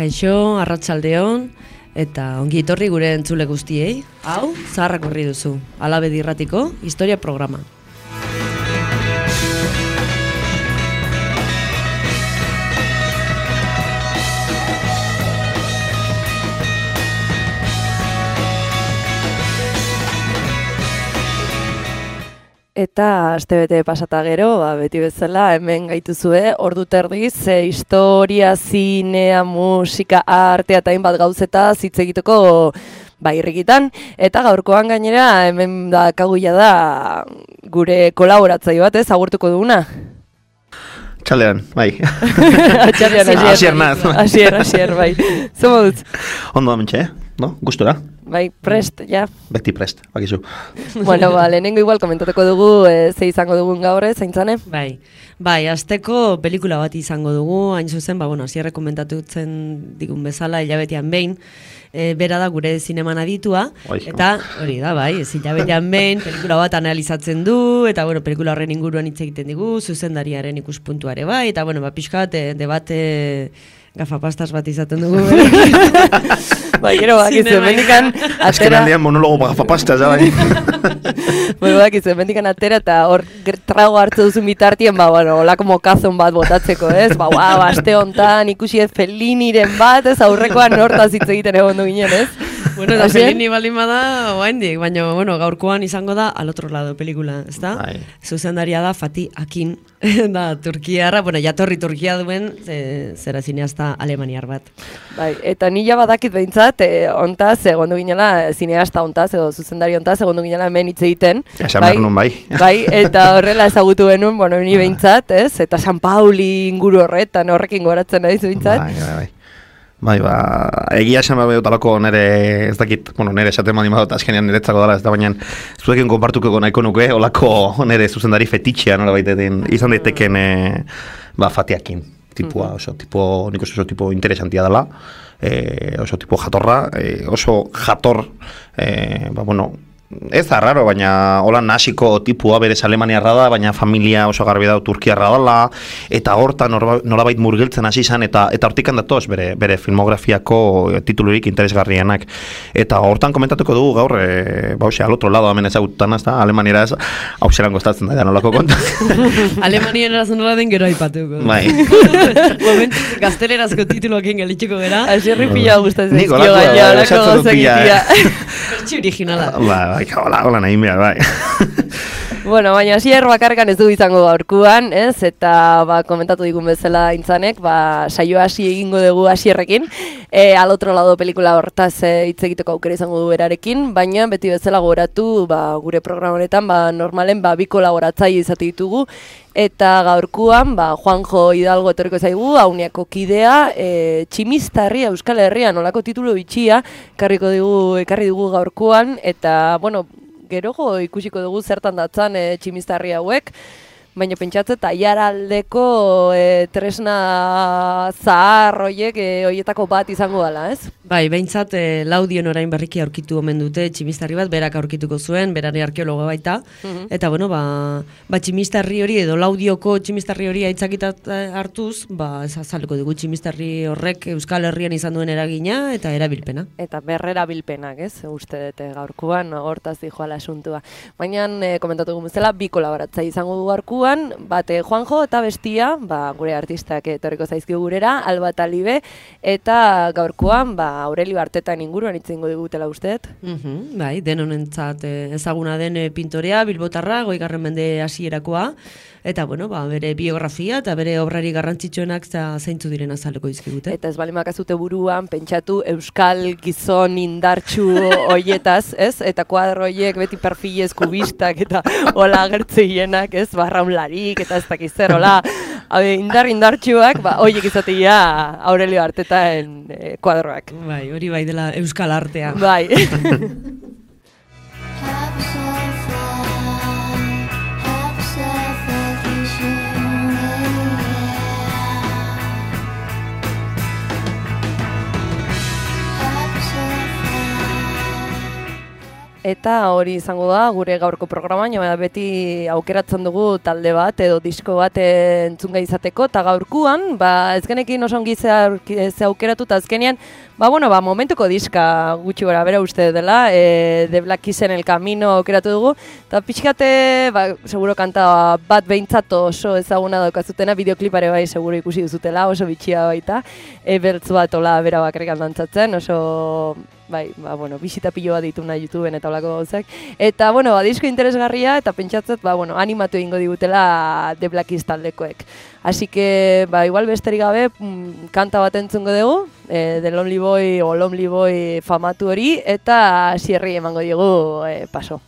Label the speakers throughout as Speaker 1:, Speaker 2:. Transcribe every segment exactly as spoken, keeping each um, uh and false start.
Speaker 1: Kaixo, arratsaldeon, eta ongi etorri gure entzule guztiei. Hau, zaharrak horri duzu, Alabedi Irratiko historia programa.
Speaker 2: Eta astebete pasata gero, ba, beti bezala hemen gaituzue, ordu terdiz, e, historia, zinea, musika, artea eta hainbat gauzeta hitz egiteko ba, irrikitan. Eta gaurkoan gainera hemen da kaguia da gure kolaboratzaile bat, ez, agurtuko duguna.
Speaker 3: Txalean, bai.
Speaker 2: Txalean, asier.
Speaker 3: Asier naz.
Speaker 2: Asier, asier, bai. Zomo dut.
Speaker 3: Ondo amentxe, eh? No? Gustora?
Speaker 2: Bai, prest, ja.
Speaker 3: Beti prest, bakizu.
Speaker 2: Bueno, ba, lehenengo igual komentateko dugu, e, ze izango dugun gaur, zaintzane?
Speaker 1: Bai, bai, asteko pelikula bat izango dugu, hain zuzen, ba, bueno, asierre komentatutzen digun bezala, hilabetean behin, e, bera da gure zineman aditua,
Speaker 3: Oizko.
Speaker 1: Eta hori da, bai, ez hilabetean behin, pelikula bat analizatzen du, eta, bueno, pelikula horren inguruan hitz egiten digu, zuzendariaren ikuspuntuare bai, eta, bueno, ba, pixka bat, e, debate gafapastas bat izaten dugu.
Speaker 2: Bai, gero bakizu, mendikan
Speaker 3: Azken
Speaker 2: atera...
Speaker 3: aldean monologo gafapasta, bai.
Speaker 2: Bueno, bakizu, mendikan atera eta hor trago hartze duzu bitartien, ba, bueno, olako mokazon bat botatzeko, ez? Ba, wow, aste hontan ikusi ez Felliniren bat, ez? Aurrekoan hortaz hitz egiten egon du ginen, ez?
Speaker 1: Bueno, eta Fellini baldin bada, oaindik, baina, bueno, gaurkoan izango da al otro lado pelikula, ezta?
Speaker 3: Bai.
Speaker 1: Zuzendaria da Fatih Akin, da Turkiarra, bueno, jatorri Turkia duen, ze, zera zineasta alemaniar bat.
Speaker 2: Bai, eta nila badakit behintzat, e, ontaz, egon du ginela, zineasta ontaz, edo zuzendari ontaz, egon du ginela hemen hitz egiten.
Speaker 3: Esan behar nun, bai.
Speaker 2: Bai, eta horrela ezagutu benun, bueno, ni behintzat, ez? Eta San Pauli inguru horretan, horrekin goratzen naiz behintzat.
Speaker 3: Bai, bai, bai. Bai, ba, egia esan behar talako nere, ez dakit, bueno, nere esaten mani badot azkenean niretzako dara, ez da baina zuekin konpartuko nahiko nuke, olako nere zuzendari fetitxea, nola baitetin, izan daiteken, e, ba, Fatiakin, tipua, oso, tipo, nik oso tipo interesantia dela, e, oso tipo jatorra, e, oso jator, e, ba, bueno, ez da raro, baina hola nasiko tipua berez alemaniarra da, baina familia oso garbi da turkiarra dela, eta hortan nolabait murgiltzen hasi izan, eta eta hortikan datoz bere, bere filmografiako titulurik interesgarrienak. Eta hortan komentatuko dugu gaur, e, ba, ose, al otro lado hemen ezagutan, ez da, alemaniera ez, hau zelan gostatzen da, nolako konta.
Speaker 1: Alemaniera nola den gero aipatuko.
Speaker 3: Bai.
Speaker 1: Momentu gaztelerazko tituloak ingelitxeko gara.
Speaker 2: Azierri pila gustatzen
Speaker 3: Nik
Speaker 2: zaizkio
Speaker 3: olako,
Speaker 2: gaina, olako
Speaker 3: esatzen dut pila,
Speaker 2: gauzakitia.
Speaker 1: Pertsi originala.
Speaker 3: Ba, bai, hola, hola nahi behar, bai.
Speaker 2: Bueno, baina Asier bakarkan ez du izango gaurkuan, ez? Eta ba, komentatu digun bezala intzanek, ba, saio hasi egingo dugu Asierrekin. E, al otro lado pelikula hortaz hitz egiteko aukera izango du berarekin, baina beti bezala gogoratu, ba, gure programa honetan, ba, normalen ba, bi kolaboratzaile izate ditugu. Eta gaurkuan, ba, Juanjo Hidalgo etorriko zaigu, Auniako kidea, e, Tximistarria Euskal Herrian, olako titulu bitxia, ekarriko dugu, ekarri dugu gaurkuan, eta, bueno, gerogo ikusiko dugu zertan datzan e, Tximistarri hauek, baina pentsatzen eta Aiaraldeko e, tresna zahar hoiek e, hoietako bat izango dela, ez?
Speaker 1: Bai, behintzat e, Laudion orain berriki aurkitu omen dute Tximistarri bat, berak aurkituko zuen, berari arkeologo baita, uh-huh. Eta bueno, ba, ba Tximistarri hori edo Laudioko Tximistarri hori aitzakitat hartuz, ba ez azaleko dugu Tximistarri horrek Euskal Herrian izan duen eragina eta erabilpena.
Speaker 2: Eta berrerabilpenak, ez? Uste dute gaurkuan, hortaz dijoala asuntua. Baina e, komentatu gumuzela, bi kolaboratzaile izango du gaurkuan, bate Juanjo eta bestia, ba, gure artistak etorriko zaizkigu gurera, Alba Talibe, eta gaurkuan, ba, Aurelio Artetan inguruan itzengo digutela usteet.
Speaker 1: Uh-huh, bai, denonentzat ezaguna den pintorea, bilbotarra, goigarren mende hasierakoa, eta bueno, ba, bere biografia eta bere obrari garrantzitsuenak zeintzu diren azaleko dizkigute.
Speaker 2: Eta ez bali makazute buruan, pentsatu euskal gizon indartsu hoietaz, ez? Eta kuadro hoiek beti perfilez kubistak eta hola agertzeienak, ez? Barraunlarik eta ez dakiz zer, hola indar indartsuak, ba, hoiek izatea Aurelio Artetaen e, kuadroak.
Speaker 1: Bai, hori bai dela euskal artea.
Speaker 2: Bai. eta hori izango da gure gaurko programan, baina beti aukeratzen dugu talde bat edo disko bat entzunga izateko, eta gaurkuan, ba, ez genekin oso ongi ze aukeratu, eta azkenean, ba, bueno, ba, momentuko diska gutxi gara bera uste dela, e, The Black Keys-en El Camino aukeratu dugu, eta pixkate, ba, seguro kanta bat behintzat oso ezaguna daukazutena, bideoklipare bai seguro ikusi duzutela, oso bitxia baita, e, bertz bat ola bera bakarrik dantzatzen, oso... Bai, ba, bueno, bisita pilo bat dituna YouTubeen eta olako gauzak. Eta, bueno, ba, disko interesgarria eta pentsatzet, ba, bueno, animatu egingo digutela The Black Keys taldekoek. Así que, ba, igual besterik gabe, kanta bat entzungo dugu, eh, The Lonely Boy o Lonely Boy famatu hori, eta Sierri emango digu eh, paso.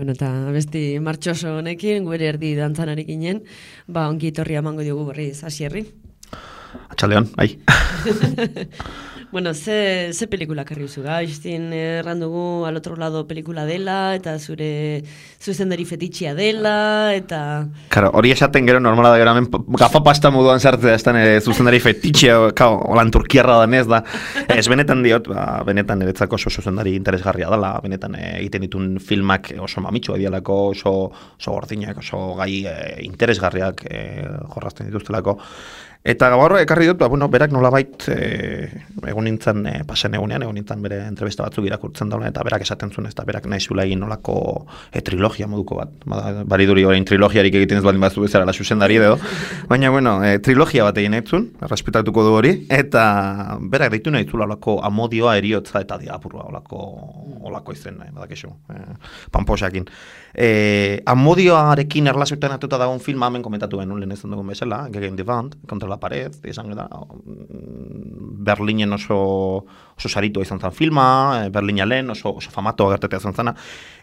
Speaker 1: Bueno, eta besti martxoso honekin, gure erdi dantzanari ginen, ba, ongi etorri emango diogu berriz, Asierri.
Speaker 3: Atxaldeon, bai.
Speaker 1: Bueno, ze, ze pelikula karri zu gaiztin, errandugu al otro lado pelikula dela, eta zure zuzendari fetitxia dela, eta...
Speaker 3: Karo, hori esaten gero normala da gero, hemen gafa pasta moduan sartzea, ez da nire zuzendari fetitxia, kao, holan turkiarra danez da. Ez, benetan diot, ba, benetan niretzako oso zuzendari interesgarria dela, benetan e, egiten ditun filmak oso mamitxua dialako, oso, oso gordinak, oso gai e, interesgarriak e, jorrazten dituztelako. Eta gaur ekarri dut, ba, bueno, berak nolabait e, egon nintzen e, pasen egunean, egon nintzen bere entrevista batzuk irakurtzen dauna, eta berak esaten zuen, ez da berak nahi zula egin nolako e, trilogia moduko bat. Ba, bariduri orain trilogiarik egiten ez baldin bazu bezala la zuzendari edo. Baina, bueno, e, trilogia bat egin etzun, respetatuko du hori, eta berak deitu nahi zula olako amodioa, eriotza eta diapurua, olako, olako izen, eh, badakizu, eh, pamposakin. E, amodioarekin erlazioetan atuta dagoen filma hemen komentatu benun, lehen ezan dugun bezala, Gegen die Wand, kontra la pared, izan da, Berlinen oso, oso saritua izan zen filma, Berlina lehen oso, oso famatoa gertetea izan zena,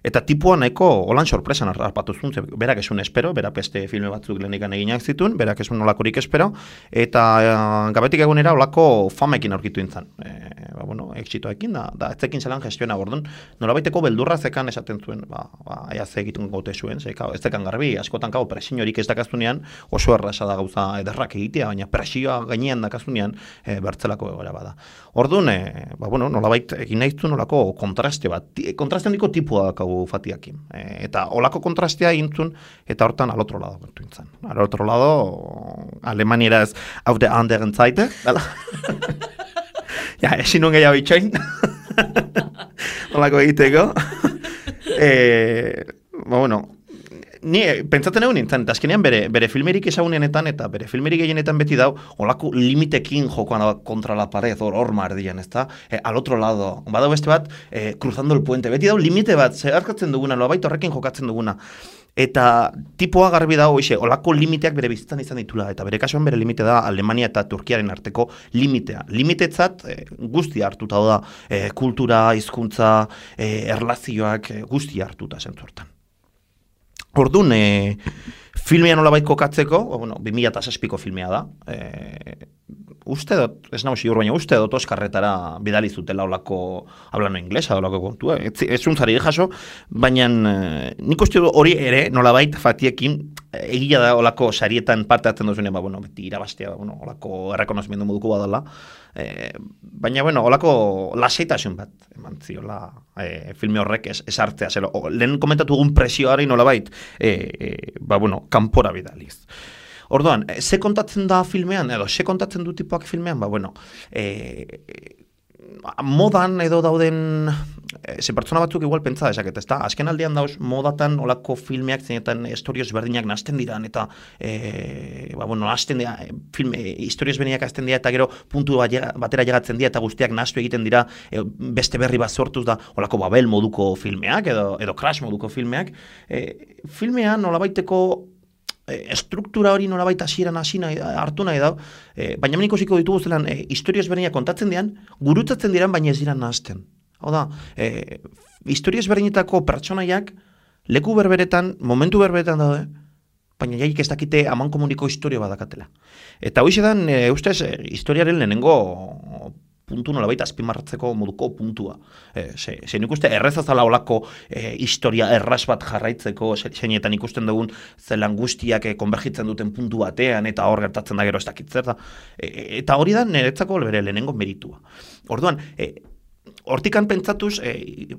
Speaker 3: eta tipua nahiko holan sorpresan harpatu zuen, berak esun espero, berak beste filme batzuk lehenikan eginak zituen, berak esun nolakorik espero, eta e, gabetik egunera olako famekin aurkitu intzan. E, ba, bueno, exitoekin, da, da etzekin zelan gestioena bordun, nolabaiteko beldurra zekan esaten zuen, ba, ba aia ze egitun gote zuen, ze, kao, ez zekan garbi, askotan kao presiorik ez dakazunean, oso erraza da gauza ederrak egitea, baina presioa gainean dakazunean e, bertzelako egoera bada. Orduan, e, ba, bueno, nolabait egin nahizu nolako kontraste bat, kontraste handiko tipua dakau fatiakin. E, eta olako kontrastea egintzun, eta hortan al otro lado gertu intzan. Al otro lado, alemanieraz auf der anderen Seite, dala? Ja, esin nun gehiago itxoin. Olako egiteko. e, ba, bueno, ni pentsatzen egun nintzen, eta azkenean bere, bere filmerik ezagunenetan eta bere filmerik gehienetan beti dau, olako limitekin jokoan kontra la pared, hor hor mardian, ez da? E, al otro lado, badau beste bat, e, cruzando el puente, beti dau limite bat, zeharkatzen duguna, loabait horrekin jokatzen duguna. Eta tipoa garbi dago, ixe, olako limiteak bere bizitzan izan ditula, eta bere kasuan bere limite da Alemania eta Turkiaren arteko limitea. Limitetzat e, guztia hartuta da, e, kultura, hizkuntza, e, erlazioak e, guztia hartuta zentzortan. Orduan, e, filmea nolabait kokatzeko, bueno, bi mila zazpiko filmea da, e, uste dut, ez nago sigur, baina uste dut Oskarretara bidali zutela olako hablano inglesa, olako kontua, ez, ez untzari jaso, baina e, nik uste dut hori ere nolabait fatiekin egia da olako sarietan parte hartzen duzunean, ba, bueno, beti irabaztea, bueno, olako errekonozimendu moduko badala, e, baina, bueno, olako lasaitasun bat, eman ziola, e, filme horrek ez, ez hartzea, zelo, o, lehen komentatu dugun presioari nolabait, e, e, ba, bueno, kanpora bidaliz. Orduan, ze kontatzen da filmean, edo ze kontatzen du tipoak filmean, ba, bueno, e, modan edo dauden, e, ze pertsona batzuk igual pentsa desaket, ez da? Azken aldean dauz, modatan olako filmeak zenetan historioz berdinak nazten diran, eta, e, ba, bueno, nazten dira, filme, historioz berdinak azten dira, eta gero puntu batera llegatzen dira, eta guztiak naztu egiten dira, e, beste berri bat sortuz da, olako Babel moduko filmeak, edo, edo Crash moduko filmeak, e, filmean nolabaiteko estruktura hori nolabait hasieran hasi nahi hartu nahi da, e, baina hemen ikusiko ditugu zelan e, historioz berdinak kontatzen dian, gurutzatzen diran baina ez dira nahazten. Hau da, e, historioz berdinetako pertsonaiak leku berberetan, momentu berberetan daude, baina jaik ez dakite aman komuniko historio badakatela. Eta hoize dan, e, ustez, e, historiaren lehenengo puntu nolabait azpimarratzeko moduko puntua. E, ze, ze nik uste errezazala olako e, historia erraz bat jarraitzeko, zeinetan ikusten dugun zelan guztiak e, konbergitzen duten puntu batean, eta hor gertatzen da gero ez dakitzer da. E, eta hori da niretzako bere lehenengo meritua. Orduan, e, hortikan pentsatuz, e,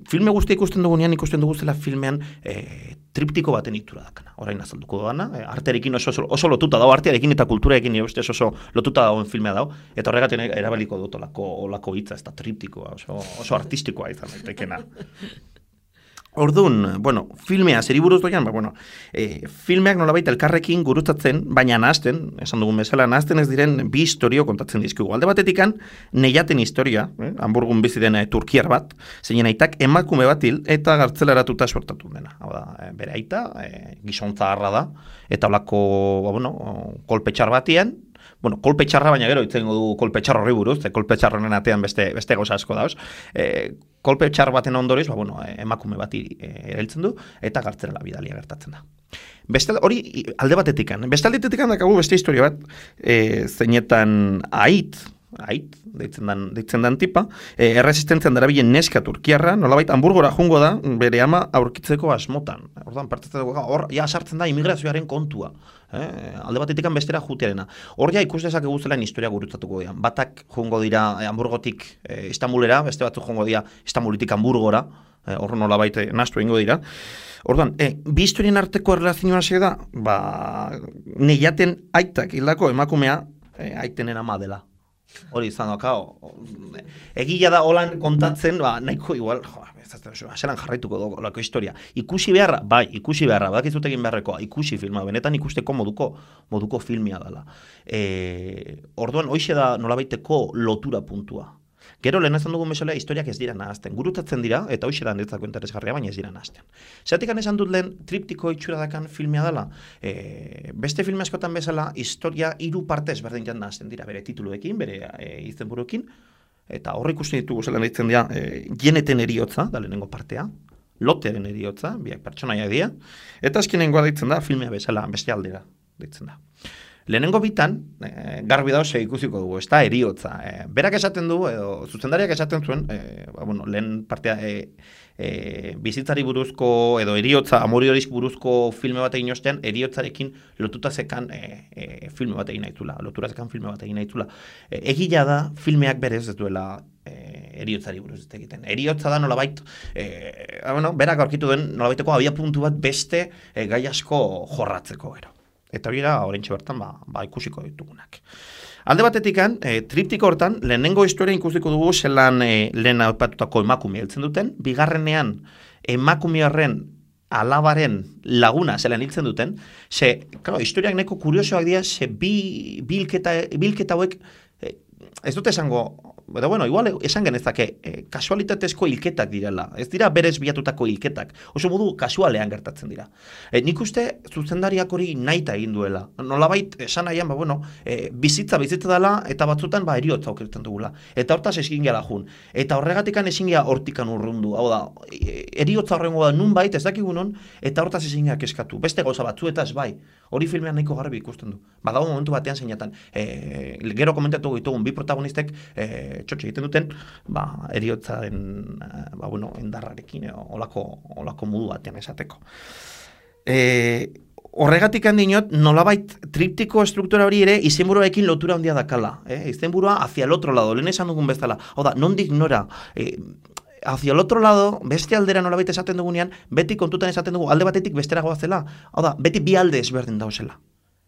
Speaker 3: filme guztia ikusten dugunean, ikusten dugu zela filmean e, triptiko baten itura dakana. Orain azalduko dugana, e, artearekin oso, oso, oso lotuta dago, artearekin eta kulturarekin ustez oso lotuta dagoen filmea dago, eta horregatik erabaliko dut olako, olako hitza, ez da triptikoa, oso, oso artistikoa izan daitekena. Orduan, bueno, filmea zeri buruz doian, ba, bueno, e, filmeak nolabait elkarrekin gurutzatzen, baina nahazten, esan dugun bezala, nahazten ez diren bi historio kontatzen dizkigu. Alde batetikan, Neiaten historia, eh, Hamburgun bizi den e, turkiar bat, zeinen aitak emakume bat hil eta gartzelaratuta suertatu dena. Hau da, e, bere aita, e, gizontza harra da, eta olako, ba, bueno, kolpe txar batien, bueno, kolpe txarra, baina gero itzengo du kolpe txar horri buruz, e, kolpe txarronen atean beste, beste goza asko dauz. E, kolpe txar baten ondoriz, ba, bueno, emakume bat erailtzen du, eta gartzerala bidalia gertatzen da. Beste, hori alde batetikan. Beste aldetetikan dakagu beste historia bat, e, zeinetan ait, ait, deitzen dan, deitzen dan tipa, e, erresistentzian darabilen neska turkiarra, nolabait Hamburgora jungo da, bere ama aurkitzeko asmotan. Ordan partetzen dugu, hor, ja sartzen da imigrazioaren kontua. Eh, alde batetikan bestera jutearena. Hor ja ikus dezakegu zelan historia gurutzatuko dira. Batak jungo dira eh, Hamburgotik eh, Istanbulera, beste batzuk jungo dira Istanbulitik Hamburgora, eh, hor nolabait eh, nastu egingo dira. Orduan, eh, bi historien arteko erlazioa hasi da, ba, Neiaten aitak hildako emakumea e, aitenen ama dela. Hori izan dakao. Egia da holan kontatzen, ba, nahiko igual, jo, aselan jarraituko dugu olako historia. Ikusi beharra, bai, ikusi beharra, badakizut egin beharrekoa, ikusi filma, benetan ikusteko moduko, moduko filmia dela. E, orduan, hoixe da nolabaiteko lotura puntua. Gero lehen esan dugun bezala historiak ez dira nahazten. Gurutatzen dira, eta hoxe da niretzako interesgarria, baina ez dira nahazten. Zeratik esan dut lehen triptiko itxura dakan filmea dela, e, beste filme askotan bezala, historia hiru parte ezberdinetan nahazten dira, bere tituluekin, bere e, izenburuekin, eta horre ikusten ditugu zelan ditzen dira, e, jeneten eriotza, da lehenengo partea, lotearen eriotza, biak pertsonaia dira, eta azkenengoa ditzen da, filmea bezala, beste aldera ditzen da. Lehenengo bitan, e, garbi da ose ikusiko dugu, ez da, eriotza. E, berak esaten du, edo zuzendariak esaten zuen, e, ba, bueno, lehen partea e, e, bizitzari buruzko, edo eriotza, amoriorik buruzko filme bat egin ostean, eriotzarekin lotuta zekan e, e, filme bat egin nahitula, lotura zekan filme bat egin nahitula. E, egila da, filmeak berez ez duela e, eriotzari buruz ez egiten. Eriotza da nolabait, e, bueno, berak aurkitu den nolabaiteko abia puntu bat beste e, gai asko jorratzeko gero. Eta hori da, horrentxe bertan, ba, ba ikusiko ditugunak. Alde batetikan, e, triptiko hortan, lehenengo historia ikusiko dugu zelan e, lehen aipatutako emakume heltzen duten, bigarrenean emakume horren alabaren laguna zelan hiltzen duten, ze, claro, historiak neko kuriosoak dira, ze bi, bilketa, bilketa hauek, e, ez dute esango, eta bueno, igual esan genezake, e, kasualitatezko hilketak direla, ez dira berez bilatutako hilketak, oso modu kasualean gertatzen dira. E, nik uste zuzendariak hori nahita egin duela, nolabait esan nahian, ba, bueno, e, bizitza bizitza dela, eta batzutan ba, eriotza okertzen dugula, eta hortaz ezin gela jun, eta horregatikan ezin gela hortikan urrundu, hau da, e, eriotza horrengo da nun bait, ez dakigunon, eta hortaz ezin gela keskatu, beste gauza batzuetaz bai, hori filmean nahiko garbi ikusten du. Badago momentu batean zeinatan, e, gero komentatu ditugun bi protagonistek, e, txotxe egiten duten, ba, eriotzaren, ba, bueno, endarrarekin, e, olako, olako modu batean esateko. E, horregatik handinot, nolabait triptiko estruktura hori ere izenburuarekin lotura handia dakala. Eh? Izenburua hacia el otro lado, lehen esan dugun bezala. Hau da, nondik nora, e, hacia el otro lado, beste aldera nolabait esaten dugunean, beti kontutan esaten dugu alde batetik bestera goazela. Hau da, beti bi alde ezberdin dauzela.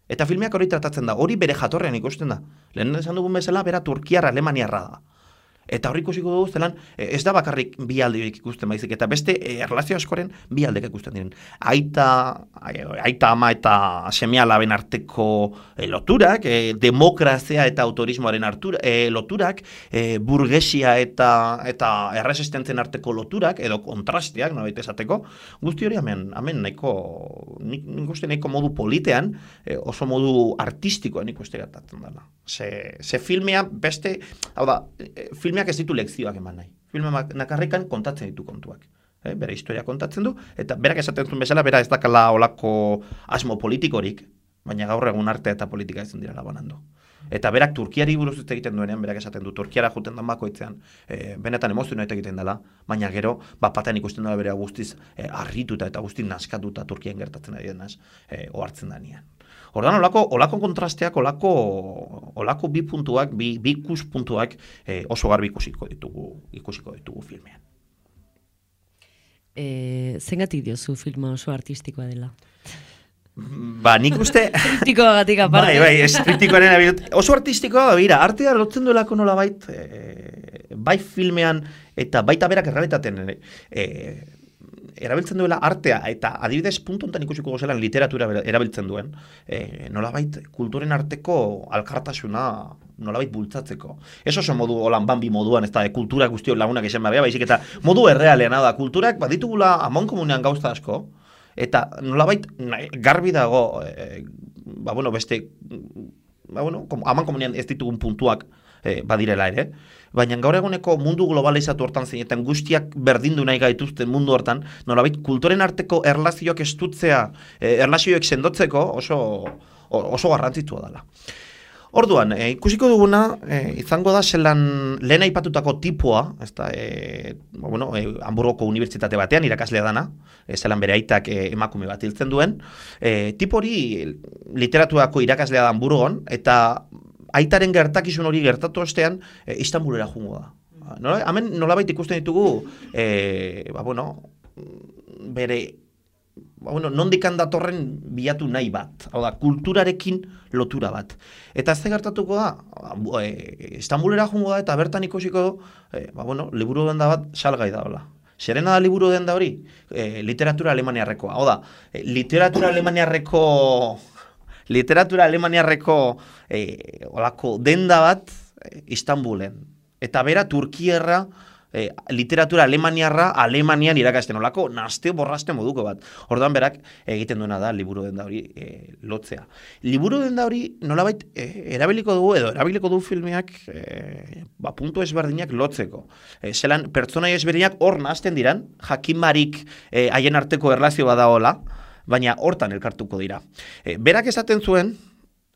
Speaker 3: Eta filmeak hori tratatzen da, hori bere jatorrean ikusten da. Lehen esan dugun bezala, bera Turkiar Alemaniarra da. Eta hori ikusiko dugu zelan, ez da bakarrik bi aldeik ikusten baizik, eta beste erlazio askoren bi aldek ikusten diren. Aita, aita ama eta seme-alaben arteko e, loturak, e, demokrazia eta autorismoaren artura, e, loturak, e, burgesia eta eta erresistentzen arteko loturak, edo kontrasteak, nolabait esateko, guzti hori hemen, hemen nahiko, nik, nik uste nahiko modu politean, e, oso modu artistikoan ikuste gertatzen dela. Ze, ze filmea beste, hau da, e, filmeak ez ditu lekzioak eman nahi. Filmeak nakarrikan kontatzen ditu kontuak. Eh, bere historia kontatzen du, eta berak esaten zuen bezala, bera ez dakala olako asmo politikorik, baina gaur egun arte eta politika ezin dira labanando. Eta berak Turkiari buruz ez egiten duenean, berak esaten du, Turkiara juten dan bakoitzean, e, benetan emozionat egiten dela, baina gero, bat patean ikusten dela bere guztiz e, arrituta eta guztiz naskatuta Turkian gertatzen ari denaz, e, ohartzen da nian. Ordan olako, olako kontrasteak, olako, olako bi puntuak, bi, bi ikus puntuak e, oso garbi ikusiko ditugu, ikusiko ditugu filmean.
Speaker 1: E, zengatik diozu filma oso artistikoa dela?
Speaker 3: Ba, nik uste...
Speaker 1: Triptikoagatik aparte.
Speaker 3: Bai, bai, ez triptikoaren abilut. Oso artistikoa, bera, artea lotzen duelako nola bait, e, bai filmean, eta baita berak errealitaten, e, erabiltzen duela artea, eta adibidez puntu honetan ikusiko gozelan literatura erabiltzen duen, e, nolabait kulturen arteko alkartasuna nolabait bultzatzeko. Ez oso modu holan bambi moduan, ez da, e, kultura guztiok lagunak esan barbea, baizik eta modu errealean da, kulturak baditugula amon komunean gauza asko, eta nolabait garbi dago, e, ba bueno, beste, ba bueno, amon komunean ez ditugun puntuak e, badirela ere, baina gaur eguneko mundu globalizatu hortan zeinetan guztiak berdindu nahi gaituzten mundu hortan, nolabait kulturen arteko erlazioak estutzea, e, erlazioek sendotzeko oso, oso garrantzitsua dela. Orduan, e, ikusiko duguna, e, izango da zelan lehen aipatutako tipua, ez da, e, bueno, e, Hamburgoko unibertsitate batean irakaslea dana, e, zelan bere aitak e, emakume bat hiltzen duen, e, tipo hori literaturako irakaslea da Hamburgon, eta aitaren gertakizun hori gertatu ostean, e, Istanbulera jungo da. Nola, hemen nolabait ikusten ditugu, e, ba, bueno, bere bueno, nondikan datorren bilatu nahi bat, hau da, kulturarekin lotura bat. Eta ze gertatuko da, e, Istanbulera jungo da eta bertan ikusiko du, e, ba, bueno, liburu denda bat salgai da, hola. Zerena da liburu denda hori? E, literatura alemaniarrekoa, hau da, e, literatura alemaniarreko, literatura alemaniarreko e, olako denda bat e, Istanbulen. Eta bera Turkierra, E, literatura alemaniarra Alemanian irakasten olako naste borraste moduko bat. Orduan berak egiten duena da liburu denda hori e, lotzea. Liburu denda hori nolabait e, erabiliko dugu edo erabiliko du filmeak e, ba, puntu ezberdinak lotzeko. E, zelan pertsonai ezberdinak hor nahasten diran, jakinbarik e, haien arteko erlazio badaola, baina hortan elkartuko dira. E, berak esaten zuen,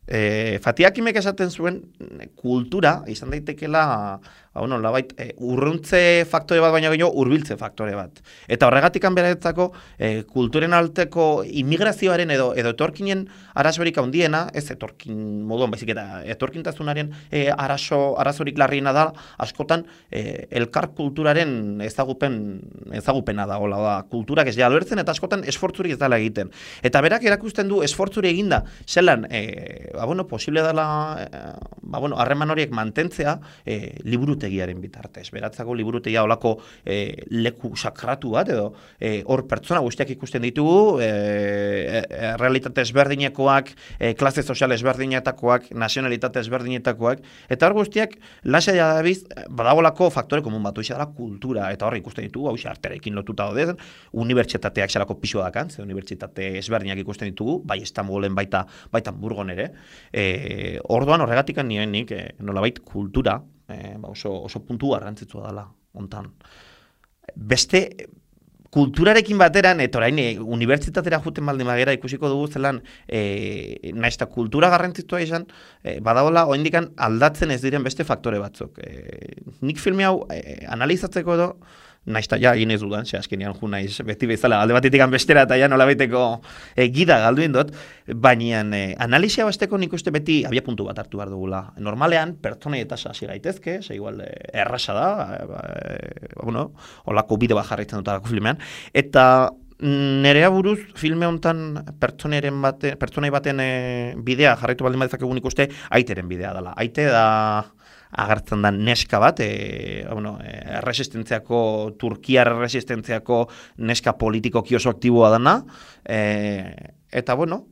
Speaker 3: E, Fatiakimek esaten zuen kultura izan daitekela ba, bueno, labait, e, urruntze faktore bat baina gehiago hurbiltze faktore bat. Eta horregatikan beraretzako e, kulturen alteko immigrazioaren edo edo etorkinen arazorik handiena, ez etorkin moduan baizik eta etorkintasunaren e, arazo arazorik larriena da askotan e, elkar kulturaren ezagupen ezagupena da, hola da, kulturak ez ja alertzen eta askotan esfortzurik ez dela egiten. Eta berak erakusten du esfortzuri eginda, zelan e, ba, bueno, posible dela eh, ba, bueno, harreman horiek mantentzea eh, liburutegiaren bitartez. Beratzako liburutegia olako eh, leku sakratu bat, edo eh, hor pertsona guztiak ikusten ditugu, eh, eh, realitate ezberdinekoak, eh, klase sozial ezberdinetakoak, nazionalitate ezberdinetakoak, eta hor guztiak lasa dabiz, badagolako faktore komun bat, hoxe dela kultura, eta hor ikusten ditugu, hoxe arterekin lotuta daude, unibertsitateak zelako pisua dakan, ze unibertsitate ezberdinak ikusten ditugu, bai Istanbulen baita, baita Burgon ere, E, orduan horregatikan nioen nik e, nolabait kultura e, ba oso, oso puntu garrantzitsua dela hontan. Beste kulturarekin bateran, eta orain e, unibertsitatera juten baldin bagera ikusiko dugu zelan e, naizta kultura garrantzitsua izan, e, badagoela oindikan aldatzen ez diren beste faktore batzuk. E, nik filme hau e, analizatzeko edo naizta ja egin ez dudan, ze azkenean ju naiz beti bezala alde batetik bestera eta ja nolabaiteko e, gida galduin dut, baina e, analisia basteko nik uste beti abia puntu bat hartu behar dugula. Normalean, pertsonei eta hasi gaitezke, ze igual e, errasa da, e, bueno, olako bide bat jarraitzen dut alako filmean, eta nerea buruz filme hontan pertsonaren bate, pertsonai baten e, bidea jarraitu baldin badezak egun ikuste aiteren bidea dela. Aite da agertzen da neska bat, e, bueno, e, resistentziako, Turkiar resistentziako neska politikoki oso aktiboa dana, e, eta bueno,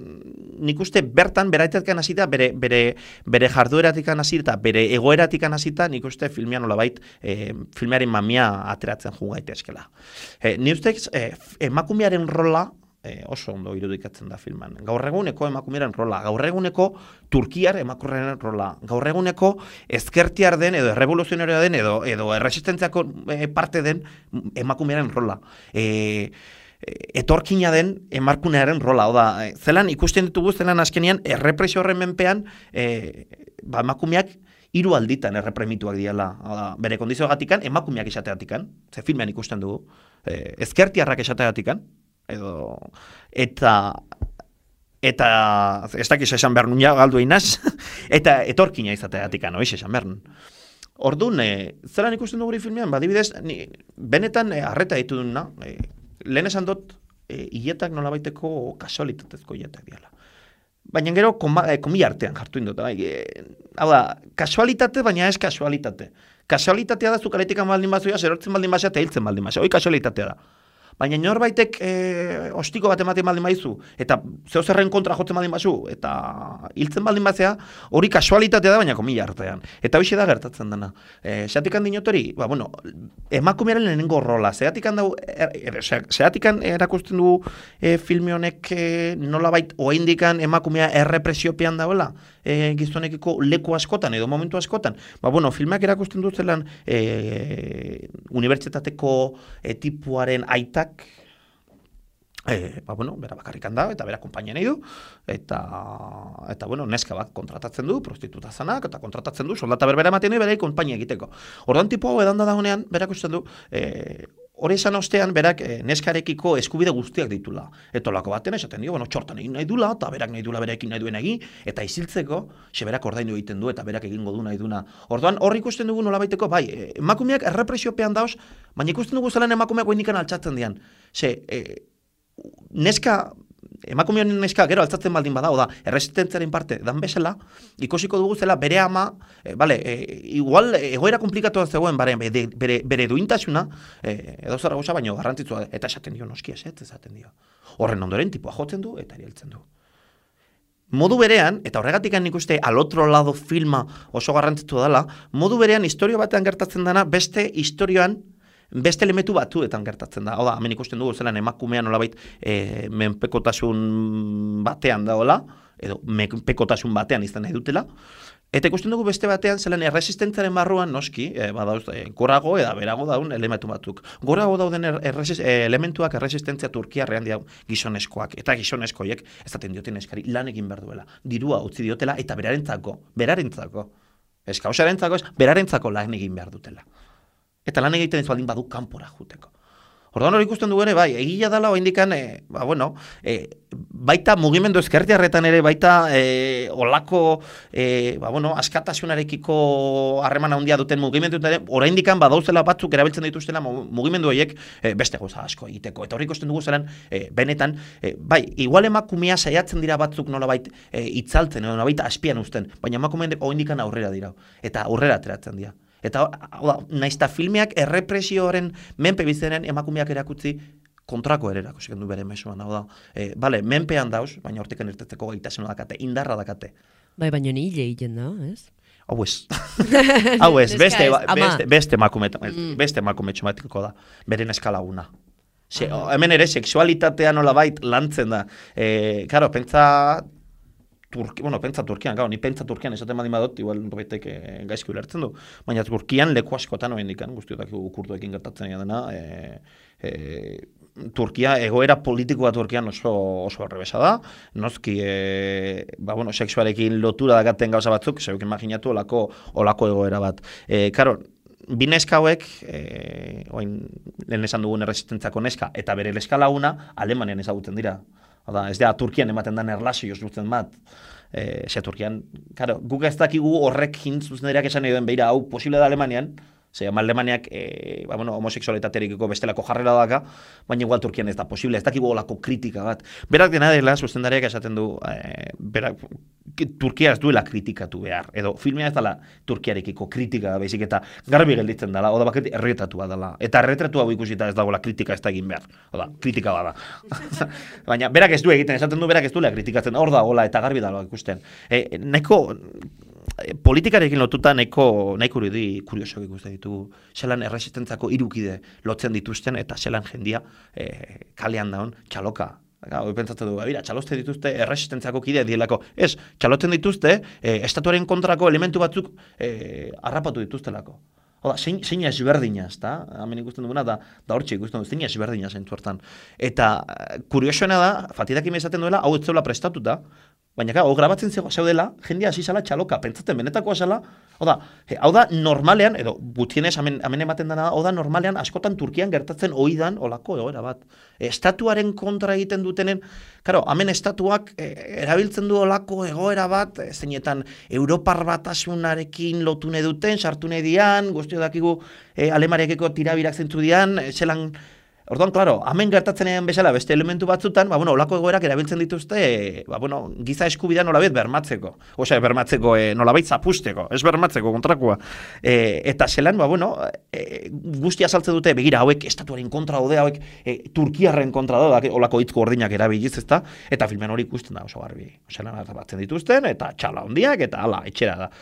Speaker 3: nik uste bertan beraitetan hasita, bere, bere, bere jardueratikan hasita, bere egoeratikan hasita, nik uste filmean nolabait e, filmearen mamia ateratzen jo gaitezkela. E, ni uste e, emakumearen rola E, oso ondo irudikatzen da filman. Gaur eguneko emakumearen rola, gaur eguneko Turkiar emakumearen rola, gaur eguneko ezkertiar den edo errevoluzionaria den edo edo erresistentziako e, parte den emakumearen rola. E, etorkina den emakumearen rola, oda, zelan ikusten ditugu zelan azkenean errepresio horren menpean e, ba, emakumeak hiru alditan errepremituak diala, oda, bere kondizioagatikan emakumeak esateatikan, ze filmean ikusten dugu, e, ezkertiarrak esateatikan, edo eta eta ez dakiz esan behar nunia galdu einaz eta etorkina izateatik anoiz esan behar nun. Orduan, e, zelan ikusten dugu filmean, badibidez, ni, benetan e, arreta ditu duna, e, lehen esan dut, e, hiletak nolabaiteko kasualitatezko hiletak diala. Baina gero, komila artean jartu indut. Bai, e, hau da, kasualitate, baina ez kasualitate. Kasualitatea da zukaletikan baldin bazuia, zerortzen baldin bazea, eta hiltzen baldin bazea. Hoi kasualitatea da. Baina norbaitek e, ostiko bat ematen baldin baizu, eta zeo zerren kontra jotzen baldin bazu, eta hiltzen baldin bazea, hori kasualitatea da, baina komila artean. Eta hoxe da gertatzen dena. E, Zeatikan dinotori, ba, bueno, emakumearen lehenengo rola, zeatikan, dau, er, er, zeatikan erakusten du e, filme honek e, nolabait oaindikan emakumea errepresiopean dauela, e, gizonekiko leku askotan, edo momentu askotan. Ba, bueno, filmeak erakusten du zelan e, unibertsitateko e, tipuaren aitak, E, ba, bueno, bera bakarrikan da, eta bera konpainia nahi du, eta, eta bueno, neska bat kontratatzen du, prostituta zanak, eta kontratatzen du, soldata berbera ematen du, bera konpainia egiteko. Orduan tipo hau edan da dagoenean, berak usten du, e, hori esan ostean, berak e, neskarekiko eskubide guztiak ditula. Eta olako baten esaten dio, bueno, txortan egin nahi dula, eta berak nahi dula berekin nahi duen egin, eta isiltzeko, xe berak ordaindu egiten du, eta berak egingo du nahi duna. Orduan, hor ikusten dugu nolabaiteko, bai, emakumeak errepresiopean dauz, baina ikusten dugu zelan emakumeak goinikan altxatzen dian. Ze, e, neska, emakume honen neska, gero altzatzen baldin bada, oda, erresistentziaren parte, dan bezala, ikusiko dugu zela bere ama, e, vale, e, igual egoera komplikatu zegoen, bere, bere, bere duintasuna, e, edo zara goza, baino garrantzitsua, eta esaten dio, noski ez, esaten dio. Horren ondoren, tipoa jotzen du, eta erieltzen du. Modu berean, eta horregatik nik uste al otro lado filma oso garrantzitsu dela, modu berean historio batean gertatzen dena, beste historioan, beste elementu batzuetan gertatzen da. Oda, hemen ikusten dugu zelan emakumea nolabait e, menpekotasun batean daola, edo menpekotasun batean izan nahi dutela, eta ikusten dugu beste batean zelan erresistentziaren barruan noski, e, badauz, e, gorago eda berago daun elementu batzuk. Gorago dauden er, erresis, e, elementuak erresistentzia Turkiarrean dira gizoneskoak, eta gizoneskoiek ez daten dioten eskari lan egin behar duela, dirua utzi diotela, eta berarentzako, berarentzako, ez kausarentzako, ez berarentzako lan egin behar dutela. Eta lan egiten ez baldin badu kanpora juteko. Orduan hori ikusten dugu ere, bai, egila dela oindikan, e, ba, bueno, e, baita mugimendu ezkertiarretan ere, baita e, olako, e, ba, bueno, askatasunarekiko harreman handia duten mugimendu, oraindikan badauzela batzuk erabiltzen dituztela mugimendu horiek e, beste goza asko egiteko. Eta hori ikusten dugu zelan, e, benetan, e, bai, igual emakumea saiatzen dira batzuk nolabait e, itzaltzen, nolabait aspian uzten, baina emakumeen oindikan aurrera dira, eta aurrera ateratzen dira. Eta naizta filmeak errepresioaren menpe bizenen emakumeak erakutzi kontrako ere erakusi du bere mezuan. Hau da, e, bale, menpean dauz, baina hortikan irtetzeko gaitasuna dakate, indarra dakate.
Speaker 1: Bai, baina ni hile egiten da, ez?
Speaker 3: Hau ez. Hau ez, beste, beste, beste emakume, beste emakume txumatiko da, beren eskalaguna. Se, hemen ere, sexualitatea nolabait lantzen da. E, karo, pentsa... Turki, bueno, pentsa Turkian, gau, ni pentsa Turkian esaten badin badot, igual baitek e, gaizki ulertzen du, baina Turkian leku askotan oen dikan, guztiotak kurduekin gertatzen dena, e, e, Turkia, egoera politikoa Turkian oso, oso errebesa da, nozki, e, ba, bueno, sexualekin lotura dakaten gauza batzuk, zeuk imaginatu olako, olako egoera bat. E, karo, bi neska hauek, e, oin, lehen esan dugun erresistentzako neska, eta bere leskalaguna, Alemanian ezagutzen dira. Oda, ez da, Turkian ematen den erlazioz dutzen bat. E, ze Turkian, karo, guk ez dakigu horrek zuzendareak esan nahi duen, beira, hau posible da Alemanian, ze Alemaniak, e, ba, bueno, homoseksualitaterikiko bestelako jarrera daka, baina igual Turkian ez da posible, ez dakigu olako kritika bat. Berak dena dela, zuzendareak esaten du, e, berak, Turkia ez duela kritikatu behar, edo filmea ez dela Turkiarekiko kritika, baizik eta garbi gelditzen dela, oda baket erretatua dela, eta erretratua hau ikusita ez dagoela kritika ez da egin behar, oda, kritika bada. Baina berak ez du egiten, esaten du berak ez duela kritikatzen, hor da, hola, eta garbi dela ikusten. E, neko, politikarekin lotuta nahiko nahiko irudi kuriosoak ikusten ditugu. Zelan erresistentzako hirukide lotzen dituzten eta zelan jendia e, kalean daun txaloka. Gau, pentsatzen dugu, bera, txaloste dituzte erresistentziako kidea dielako. Ez, txalotzen dituzte e, estatuaren kontrako elementu batzuk e, harrapatu dituztelako. Oda, zein, zein ezberdina, ez da? Hemen ikusten duguna, da, da hortxe ikusten dugu, zein ezberdina zentzu hartan. Eta kuriosoena da, Fatidak imezaten duela, hau ez zeula prestatuta, baina hau grabatzen zeudela, jendia hasi zala txaloka, pentsatzen benetakoa zala, oda, hau da normalean, edo gutienez hemen, hemen ematen dena, hau da normalean askotan Turkian gertatzen oidan olako egoera bat. Estatuaren kontra egiten dutenen, karo, hemen estatuak e, erabiltzen du olako egoera bat, e, zeinetan Europar batasunarekin lotune duten, sartune dian, guztio dakigu e, Alemariakeko tirabirak zentzu dian, e, zelan... Orduan, klaro, hemen gertatzen egin bezala beste elementu batzutan, ba, bueno, olako egoerak erabiltzen dituzte, e, ba, bueno, giza eskubidea nolabait bermatzeko. Osea, bermatzeko, e, nolabait zapusteko, ez bermatzeko kontrakoa. E, eta zelan, ba, bueno, e, guztia saltzen dute, begira, hauek estatuaren kontra daude, hauek e, Turkiarren kontra daude, olako hitz gordinak erabiliz, ezta? Eta filmen hori ikusten da oso garbi. Osea, batzen dituzten, eta txala hondiak, eta hala, etxera da.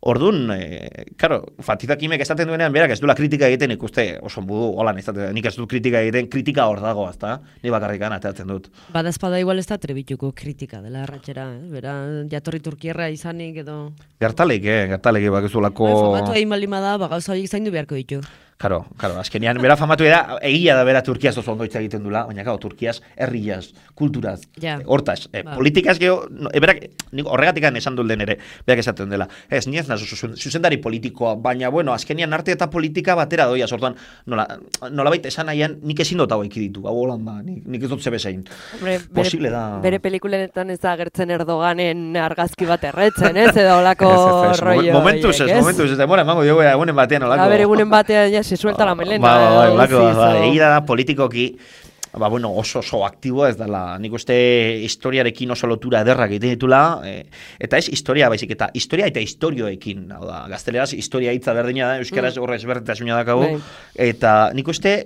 Speaker 3: Orduan, e, karo, Fatidak imek esaten duenean, berak ez duela kritika egiten ikuste oso budu, holan ez dut, nik ez dut kritika egiten, kritika hor dago, ezta? Ni bakarrikan ateratzen dut.
Speaker 1: Bada espada igual ez da trebituko kritika dela arratxera, eh? Bera, jatorri Turkierra izanik edo...
Speaker 3: Gertalik, eh? Gertalik, bakizulako...
Speaker 1: Famatu egin baldin bada, bagauza horiek zaindu beharko ditu.
Speaker 3: Karo, karo, azkenean, bera famatu da, egia da bera Turkiaz oso ondo hitz egiten dula, baina karo, Turkiaz, herriaz, kulturaz, ja. Hortaz, eh, ba. Politikaz geho, no, e, berak, horregatikan esan dut den ere, berak esaten dela, ez, niez nazo, zuzendari politikoa, baina, bueno, azkenean arte eta politika batera doia, sortuan, nola, nola baita esan nahian, nik ezin dut hau ekiditu, hau holan da, nik, nik ez dut zebezain. Posible da.
Speaker 2: Bere pelikulenetan ez da agertzen Erdoganen argazki bat erretzen, ez, edo olako rollo.
Speaker 3: Momentuz ez, momentuz ez, demora, emango diogu egunen batean olako.
Speaker 2: A ber, egunen batean, ja, se suelta la melena.
Speaker 3: Ba, ba, ba, ba, ba, ba, egia da politikoki, ba, bueno, oso oso aktiboa ez dela, nik uste historiarekin oso lotura ederrak egiten ditula, e, eta ez historia baizik, eta historia eta historioekin, hau da, gazteleraz historia hitza berdina da, euskaraz mm. horre ezberdintasuna dakagu, eta nik uste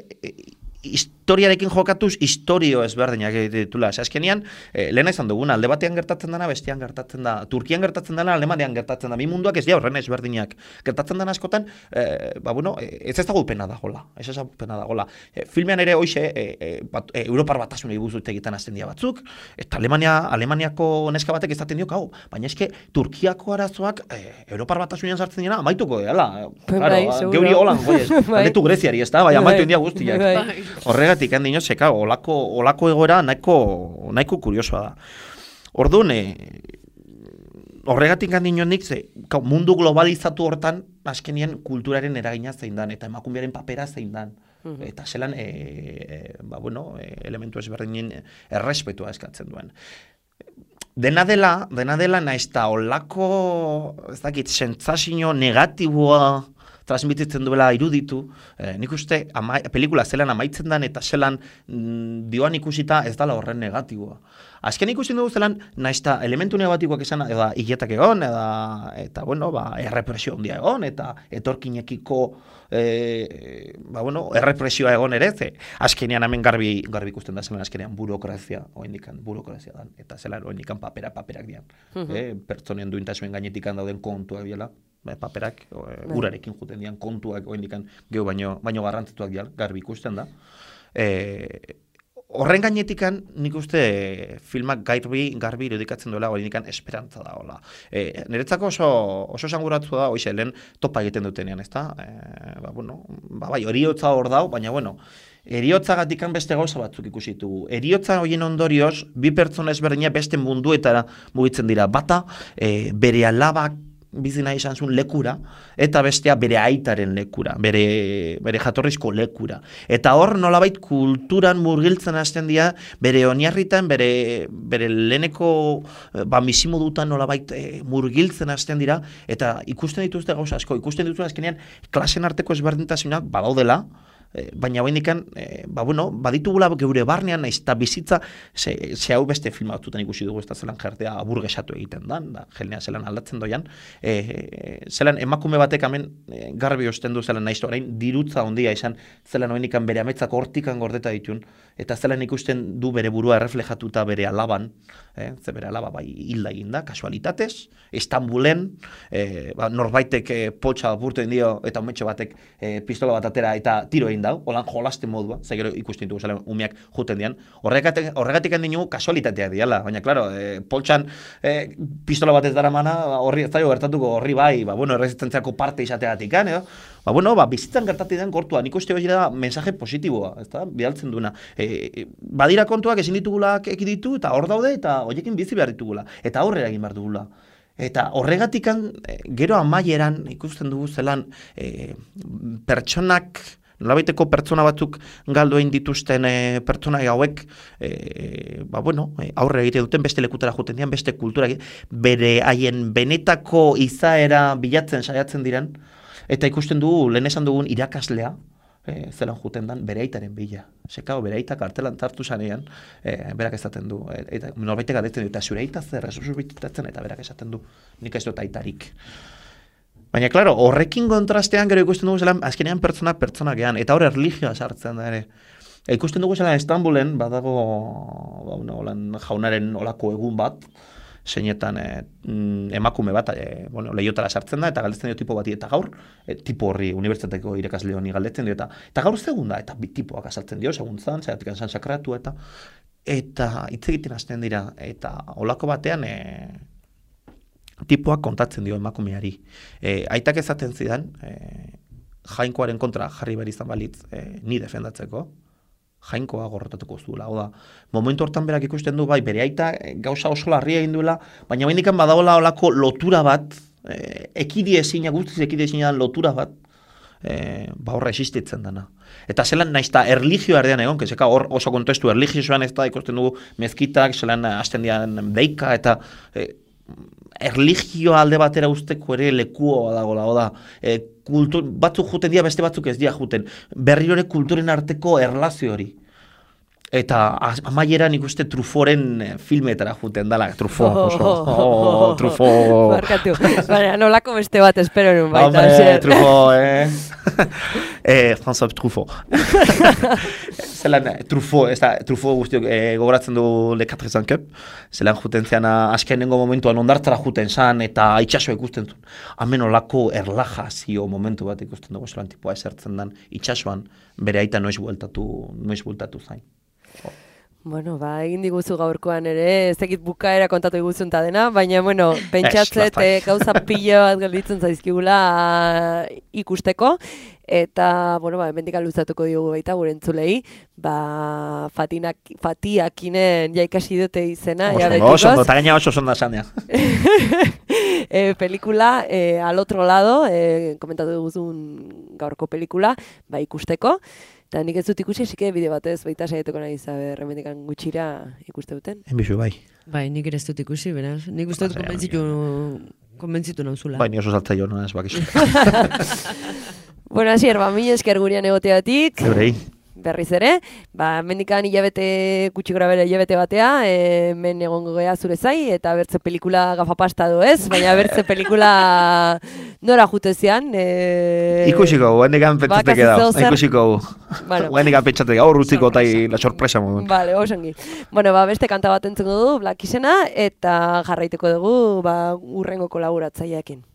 Speaker 3: historiarekin jokatuz historio ezberdinak ditula. Azkenean, eh, lehena izan duguna, alde batean gertatzen dena, bestean gertatzen da. Turkian gertatzen dena, Alemanian gertatzen da. Bi munduak ez dira horren ezberdinak. Gertatzen dena askotan, eh, ba, bueno, ez ez dago pena dagola. Ez ez dago pena dagola. Eh, filmean ere hoxe, eh, eh, bat, eh, Europar batasunei buruz egiten hasten dira batzuk, eta Alemania, Alemaniako neska batek ezaten dio, hau, baina eske Turkiako arazoak eh, Europar batasunean sartzen dira, amaituko, hala. Claro, geuri holan, goiez. Aldetu Greziari, ez da, bai, amaitu india guztiak. Horregatik handino zeka, olako, olako egoera nahiko, nahiko kuriosoa da. Orduan, horregatik handino nik, ze, mundu globalizatu hortan, azkenien kulturaren eragina zein dan, eta emakumearen papera zein dan. Uh-huh. Eta zelan, e, e, ba, bueno, e, elementu ezberdinen errespetua eskatzen duen. Dena dela, dena dela naiz eta olako, ez dakit, sentsazio negatiboa transmititzen duela iruditu, eh, nik uste ama, pelikula zelan amaitzen dan eta zelan mm, dioan ikusita ez dala horren negatiboa. Azken ikusten dugu zelan, naiz eta elementu negatiboak esan, eda hiletak egon, eda, eta bueno, ba, errepresio handia egon, eta etorkinekiko eh, ba, bueno, errepresioa egon ere, ze azkenean hemen garbi, garbi ikusten da zelan azkenean burokrazia, oendikan burokrazia dan, eta zelan oendikan papera, paperak dian. Uh-huh. eh, pertsonen duintasuen gainetikan dauden kontuak biela. Paperak, e, urarekin juten dian, kontuak, oendikan, geho baino, baino garrantzituak dian, garbi ikusten da. E, horren gainetikan, nik uste filmak garbi, garbi irudikatzen duela, oendikan esperantza da, hola. E, niretzako oso, oso sanguratu da, oize, lehen topa egiten dutenean, ez da? E, ba, bueno, ba, bai, horiotza hor dau, baina, bueno, eriotzagatikan beste gauza batzuk ikusitu. Eriotza horien ondorioz, bi pertsona ezberdina beste munduetara mugitzen dira. Bata, e, bere alabak, bizina izan zuen lekura, eta bestea bere aitaren lekura, bere, bere jatorrizko lekura. Eta hor nolabait kulturan murgiltzen hasten dira, bere oinarritan, bere, bere leheneko ba, bizimodutan nolabait e, murgiltzen hasten dira, eta ikusten dituzte gauza asko, ikusten dituzte azkenean klasen arteko ezberdintasunak badaudela, baina hoendikan, e, ba, bueno, baditugula geure barnean, naiz eta bizitza, ze, ze hau beste filma batzutan ikusi dugu, ez da zelan jertea aburgesatu egiten dan, da, jelnea zelan aldatzen doian, e, e, zelan emakume batek hemen e, garbi osten du zelan naiz orain dirutza ondia izan, zelan hoendikan bere ametzak hortikan gordeta ditun, eta zelan ikusten du bere burua erreflejatuta bere alaban, e, ze bere alaba bai hilda egin da, kasualitatez, Istanbulen, e, ba, norbaitek e, potxa apurten dio, eta umetxe batek e, pistola bat atera eta tiro egin dau, holan jolaste modua, ze gero ikusten dugu zela umeak juten dian, horregatik, horregatik handinu kasualitateak diala, baina, klaro, e, poltsan e, pistola bat ez dara mana, horri ez daio gertatuko horri bai, ba, bueno, erresistentziako parte izateatik, edo, ba, bueno, ba, bizitzan gertatu den gortua, nik uste hori da mensaje positiboa, ez da, bidaltzen duena. E, badira kontuak ezin ditugulak ekiditu, eta hor daude, eta horiekin bizi behar ditugula, eta aurrera egin behar dugula. Eta horregatikan, e, gero amaieran ikusten dugu zelan e, pertsonak, nolabaiteko pertsona batzuk galdu egin dituzten e, pertsona hauek e, ba, bueno, e, aurre egite duten beste lekutara joten dian, beste kultura bere haien benetako izaera bilatzen saiatzen diren, eta ikusten dugu, lehen esan dugun irakaslea, e, zelan juten dan, bere aitaren bila. Sekao, bere aitak kartelan tartu zanean, e, berak esaten du, e, eta norbaitek adetzen du, eta zure aita zer, ez bitatzen, eta berak esaten du, nik ez dut aitarik. Baina, klaro, horrekin kontrastean gero ikusten dugu zelan, azkenean pertsonak pertsonak gehan, eta hor erlijioa sartzen da ere. E, ikusten dugu zelan Istanbulen, badago ba, una, olan, jaunaren olako egun bat, zeinetan e, emakume bat, e, bueno, lehiotara sartzen da, eta galdetzen dio tipo bati, eta gaur, e, tipo horri, unibertsitateko irakasle honi galdetzen dio, eta, eta gaur segun da, eta bi tipoak azaltzen dio, segun zan, zeratik zan sakratu, eta eta hitz egiten hasten dira, eta olako batean, e, tipoak kontatzen dio emakumeari. E, aitak ezaten zidan, e, jainkoaren kontra jarri behar izan balitz e, ni defendatzeko, jainkoa gorrotatuko zuela. Oda, momentu hortan berak ikusten du, bai, bere aita gauza oso larria egin duela, baina baindikan badagoela olako lotura bat, e, ekidi ezina, guztiz ekidi ezina dan lotura bat, e, ba horra existitzen dana. Eta zelan naizta erlijioa erdean egon, kezeka hor oso kontestu erlijioan ez da ikusten dugu mezkitak, zelan hasten dian deika, eta e, erlijioa alde batera usteko ere lekuoa dagoela, oda, e, kultur, batzuk juten dira, beste batzuk ez dira juten, berriro ere kulturen arteko erlazio hori. Eta amaieran ikuste Trufforen filmetara juten dala, Truffaut, oso, oh, Truffaut.
Speaker 2: Barkatu, baina nolako beste bat espero nun baita.
Speaker 3: Hombre, Truffaut, eh? eh, François Truffaut. Zelan, Truffaut, ez da, Truffaut guztiok eh, gogoratzen du Le Quatre Cents Cup, zelan juten zean azkenengo momentuan ondartzara juten zan, eta itxasua ikusten zuen. Hemen olako erlajazio momentu bat ikusten dugu, zelan tipoa esertzen dan itxasuan, bere aita noiz bueltatu, noiz bueltatu zain.
Speaker 2: Bueno, ba, egin diguzu gaurkoan ere, ez dakit bukaera kontatu diguzun ta dena, baina, bueno, pentsatzet eh, gauza pilo bat gelditzen zaizkigula ikusteko, eta, bueno, ba, hemendik luzatuko diogu baita gure entzulei, ba, fatinak, fatiakinen jaikasi dute izena, ja betikoz.
Speaker 3: Oso, eta gaina oso sonda zanea.
Speaker 2: eh, pelikula, eh, al otro lado, eh, komentatu diguzun gaurko pelikula, ba, ikusteko, eta nik ez dut ikusi, esike bide batez, baita saiatuko nahi zabe, remendikan gutxira ikuste duten.
Speaker 3: Enbizu, bai.
Speaker 1: Bai, nik ere ez dut ikusi, beraz. Nik uste dut konbentzitu, konbentzitu nauzula.
Speaker 3: Bai, ni oso saltza jo, no, ez bakizu.
Speaker 2: Bueno, asier, ba, mi esker gurean egoteatik.
Speaker 3: Zebrei.
Speaker 2: Berriz ere, ba, mendikan hilabete, gutxi gora bere hilabete batea, e, men egongo gea zure zai, eta bertze pelikula gafapasta du ez, baina bertze pelikula nora jutezian. E...
Speaker 3: Ikusiko, guendikan pentsatek edau, ikusiko.
Speaker 2: Bueno.
Speaker 3: Guendikan pentsatek, hor utziko eta la sorpresa modun.
Speaker 2: Vale, osongi. Bueno, ba, beste kanta bat entzuko dugu, Black izena, eta jarraiteko dugu, ba, urrengo kolaboratzaileekin.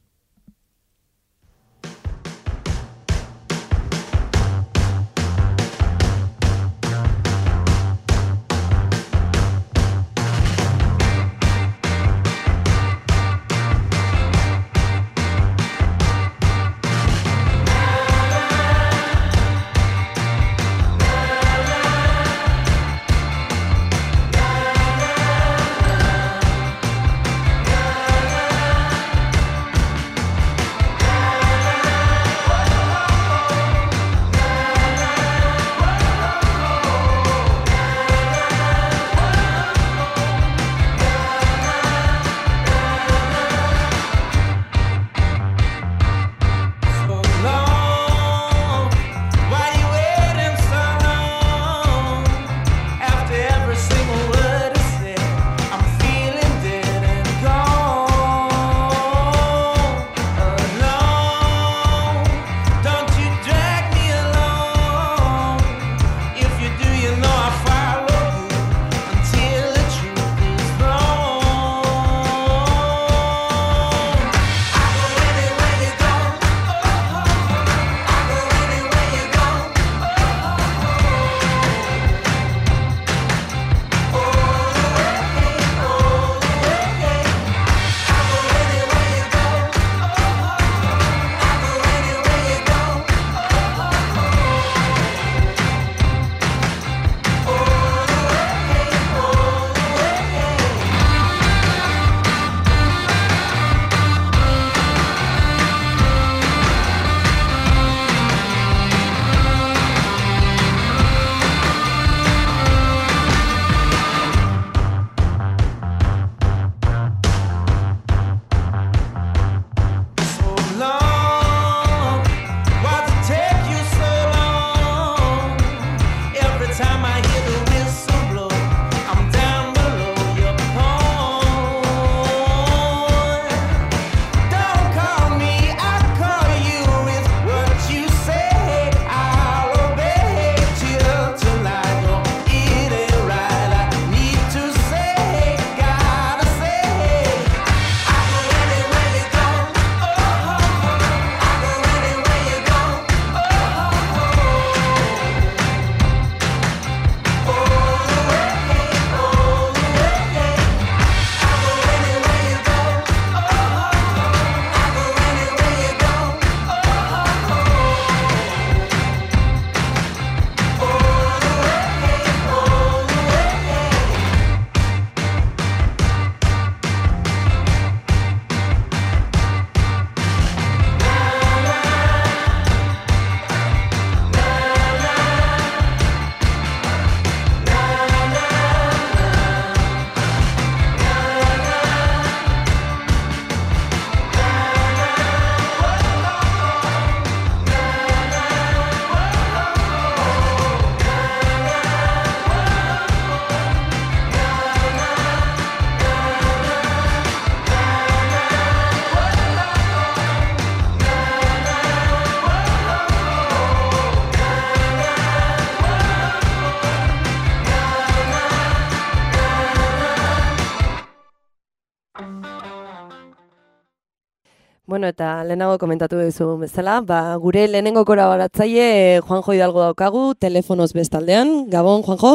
Speaker 2: Bueno, eta lehenago komentatu duzu bezala, ba, gure lehenengo kolaboratzaile Juanjo Hidalgo daukagu, telefonoz bestaldean. Gabon, Juanjo?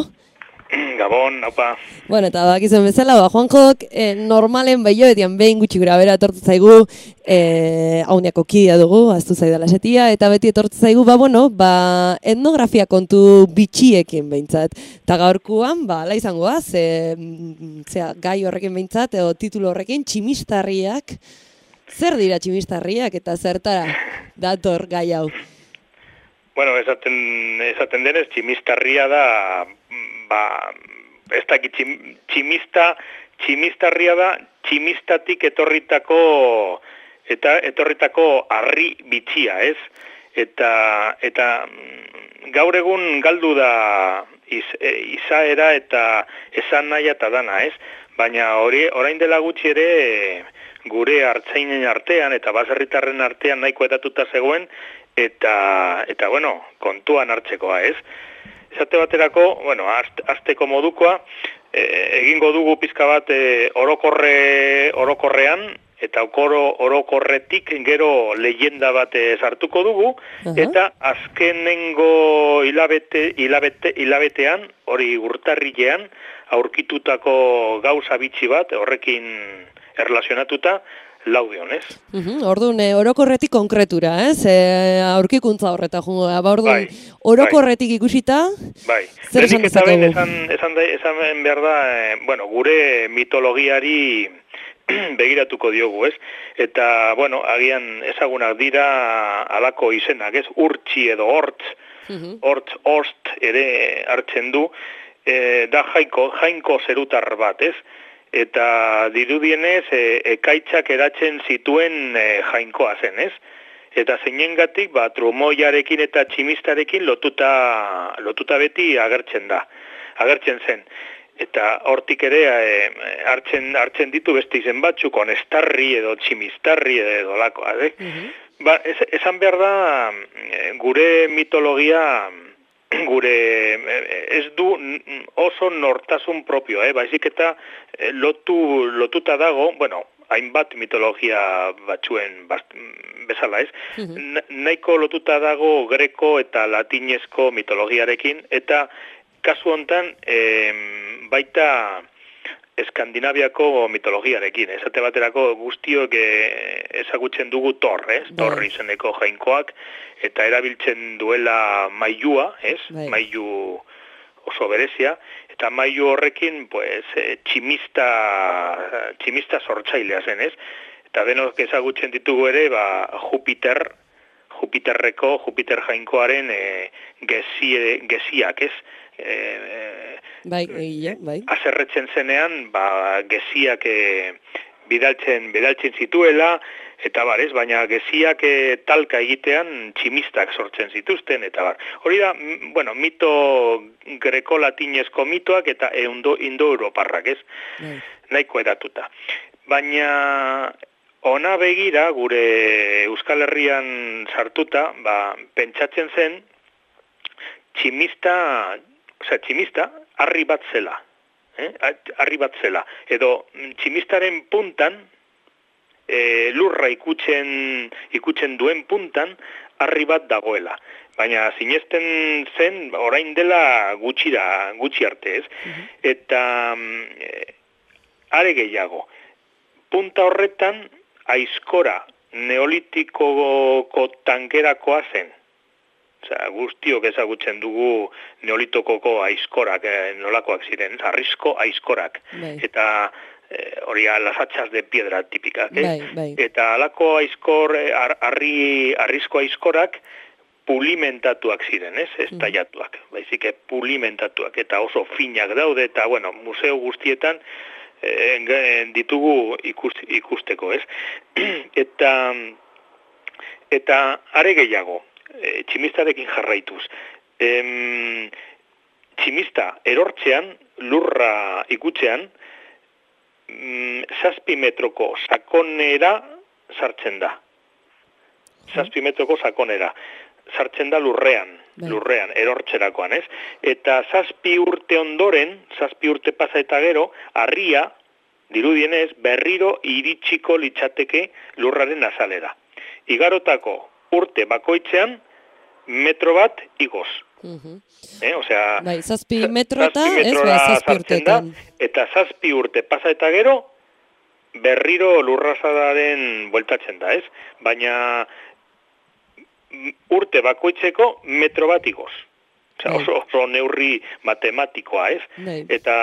Speaker 4: Gabon, naupa.
Speaker 2: Bueno, eta bakizuen bezala, ba, Juanjok eh, normalen behioetian behin gutxi gura bera etortu zaigu, eh, hauniako kidea dugu, aztu zaidala setia, eta beti etortu zaigu, ba, bueno, ba, etnografia kontu bitxiekin behintzat. Eta gaurkuan, ba, ala izangoa, ze, zera, gai horrekin behintzat, edo titulu horrekin, tximistarriak. Zer dira tximistarriak eta zertara dator gai hau?
Speaker 4: Bueno, esaten, esaten denez, tximistarria da, ba, ez dakit, txim, tximista, tximistarria da, tximistatik etorritako, eta etorritako harri bitxia, ez? Eta, eta gaur egun galdu da iz, e, izaera eta esan nahi eta dana, ez? Baina hori, orain dela gutxi ere, gure hartzainen artean eta baserritarren artean nahiko edatuta zegoen, eta, eta bueno, kontuan hartzekoa, ez? Esate baterako, bueno, azteko modukoa, e, egingo dugu pizka bat e, orokorre, orokorrean, eta okoro orokorretik gero leyenda bat sartuko dugu, uh-huh. Eta azkenengo hilabete, hilabete, hilabetean, hori urtarrilean, aurkitutako gauza bitxi bat, horrekin erlazionatuta, laudion, ez?
Speaker 2: Uh-huh. Orduan, e, orokorretik konkretura, ez? E, aurkikuntza horreta, jungo, ba, orduan, bai, orokorretik bai. Ikusita,
Speaker 4: bai.
Speaker 2: Zer esan dezakegu?
Speaker 4: Esan, esan, esan behar da, e, bueno, gure mitologiari begiratuko diogu, ez? Eta, bueno, agian ezagunak dira alako izenak, ez? Urtsi edo hortz, uh-huh. hortz, hortz ere hartzen du, e, da jainko, jainko zerutar bat, ez? Eta dirudienez e, ekaitzak eratzen zituen e, jainkoa zen, ez? Eta zeinengatik, ba, trumoiarekin eta tximistarekin lotuta, lotuta beti agertzen da, agertzen zen. Eta hortik ere e, hartzen, hartzen ditu beste izen batzuk, onestarri edo tximistarri edo lakoa, eh? Uh-huh. Ba, ez, esan behar da, gure mitologia, gure ez du oso nortasun propio, eh? Baizik eta lotu, lotuta dago, bueno, hainbat mitologia batzuen bast, bezala, ez? Uh-huh. Nahiko lotuta dago greko eta latinezko mitologiarekin, eta kasu hontan eh, baita Eskandinaviako mitologiarekin, esate baterako guztiok ezagutzen dugu Thor, ez? Bai. Thor izeneko jainkoak, eta erabiltzen duela mailua, ez? Bai. Mailu oso berezia, eta mailu horrekin, pues, tximista, tximista sortzailea zen, ez? Eta denok ezagutzen ditugu ere, ba, Jupiter, Jupiterreko, Jupiter jainkoaren e, gezie, geziak, ez? E,
Speaker 2: bai, egia, bai.
Speaker 4: Azerretzen zenean, ba, geziak e, bidaltzen, bidaltzen zituela, eta bar, ez, baina geziak e, talka egitean tximistak sortzen zituzten, eta bar. Hori da, bueno, mito greko-latinezko mitoak eta indo-europarrak, ez? Bai. Nahiko edatuta. Baina ona begira, gure Euskal Herrian sartuta, ba, pentsatzen zen, tximista, osea, tximista, harri bat zela, eh? harri bat zela, edo tximistaren puntan, e, lurra ikutzen, ikutzen duen puntan, harri bat dagoela. Baina sinesten zen, orain dela gutxira, gutxi arte, ez? Uh-huh. Eta e, are gehiago, punta horretan, aizkora neolitikoko tankerakoa zen. Osea, guztiok ezagutzen dugu neolitokoko aizkorak, eh, nolakoak ziren, arrizko aizkorak. Bai. Eta eh, hori las hachas de piedra tipikak, eh? Bai, bai. Eta alako aizkor, ar, arri, arrizko aizkorak pulimentatuak ziren, ez? Ez tallatuak, baizik pulimentatuak, eta oso finak daude, eta, bueno, museo guztietan eh, ditugu ikust, ikusteko, ez? eta, eta are gehiago, E, tximistarekin jarraituz. Em, tximista erortzean, lurra ikutzean, mm, zazpi metroko sakonera sartzen da. Zazpi metroko sakonera. Sartzen da lurrean, bai. lurrean, erortzerakoan, ez? Eta zazpi urte ondoren, zazpi urte pasa eta gero, harria, dirudienez, berriro iritsiko litzateke lurraren azalera. Igarotako urte bakoitzean metro bat igoz.
Speaker 2: Mhm.
Speaker 4: Eh, osea,
Speaker 2: Bai, zazpi metrota,
Speaker 4: zazpi
Speaker 2: ez,
Speaker 4: metrora
Speaker 2: bai, zazpi
Speaker 4: sartzen da,
Speaker 2: urtetan.
Speaker 4: eta zazpi urte pasa eta gero, berriro lurrazadaren bueltatzen da, ez? Baina urte bakoitzeko metro bat igoz. Osea, oso, oso neurri matematikoa, ez?
Speaker 2: Bai.
Speaker 4: Eta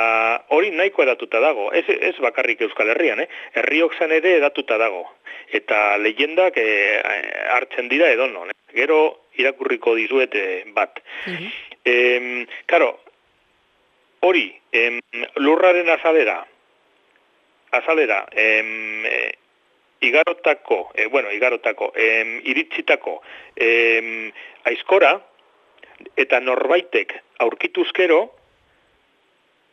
Speaker 4: hori nahiko edatuta dago. Ez, ez bakarrik Euskal Herrian, eh? Herriokzan ere edatuta dago. Eta leyendak eh, hartzen dira edonon. Eh? Gero irakurriko dizuet eh, bat.
Speaker 2: Mhm.
Speaker 4: Eh, karo, hori, em, lurraren azalera, azalera, em, eh, igarotako, eh, bueno, igarotako, em, iritzitako, em, aizkora, eta norbaitek aurkituzkero,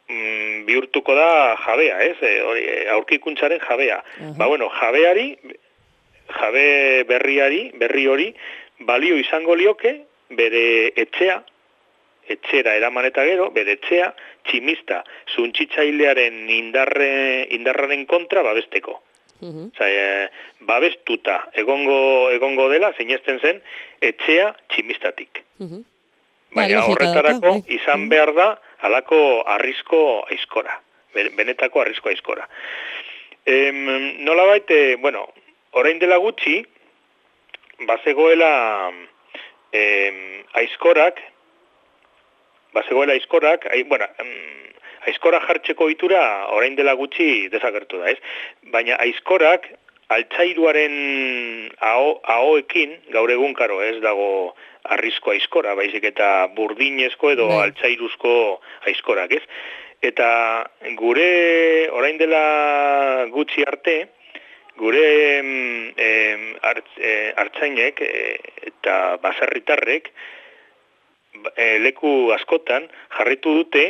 Speaker 4: mm, bihurtuko da jabea, ez? E, hori, aurkikuntzaren jabea.
Speaker 2: Aha.
Speaker 4: Ba, bueno, jabeari, jabe berriari, berri hori, balio izango lioke, bere etxea, etxera eraman eta gero, bere etxea, tximista, zuntzitzailearen indarre, indarraren kontra babesteko.
Speaker 2: Mhm.
Speaker 4: Osa, e, babestuta egongo, egongo dela, sinesten zen, etxea tximistatik.
Speaker 2: Mhm.
Speaker 4: Baina
Speaker 2: Ba, logika
Speaker 4: horretarako
Speaker 2: dauka, bai.
Speaker 4: izan behar da halako arrizko aizkora, benetako arrizko aizkora. Em, nolabait, e, bueno, orain dela gutxi, bazegoela em, aizkorak, bazegoela aizkorak, ai, bueno, em, aizkora jartzeko itura orain dela gutxi desagertu da, ez? Baina aizkorak altzairuaren aho, ahoekin, gaur egun karo ez dago arrizko aizkora, baizik eta burdinezko edo
Speaker 2: Bai.
Speaker 4: altzairuzko aizkorak, ez? Eta gure orain dela gutxi arte, gure em, em, artz, e, artzainek e, eta baserritarrek e, leku askotan jarritu dute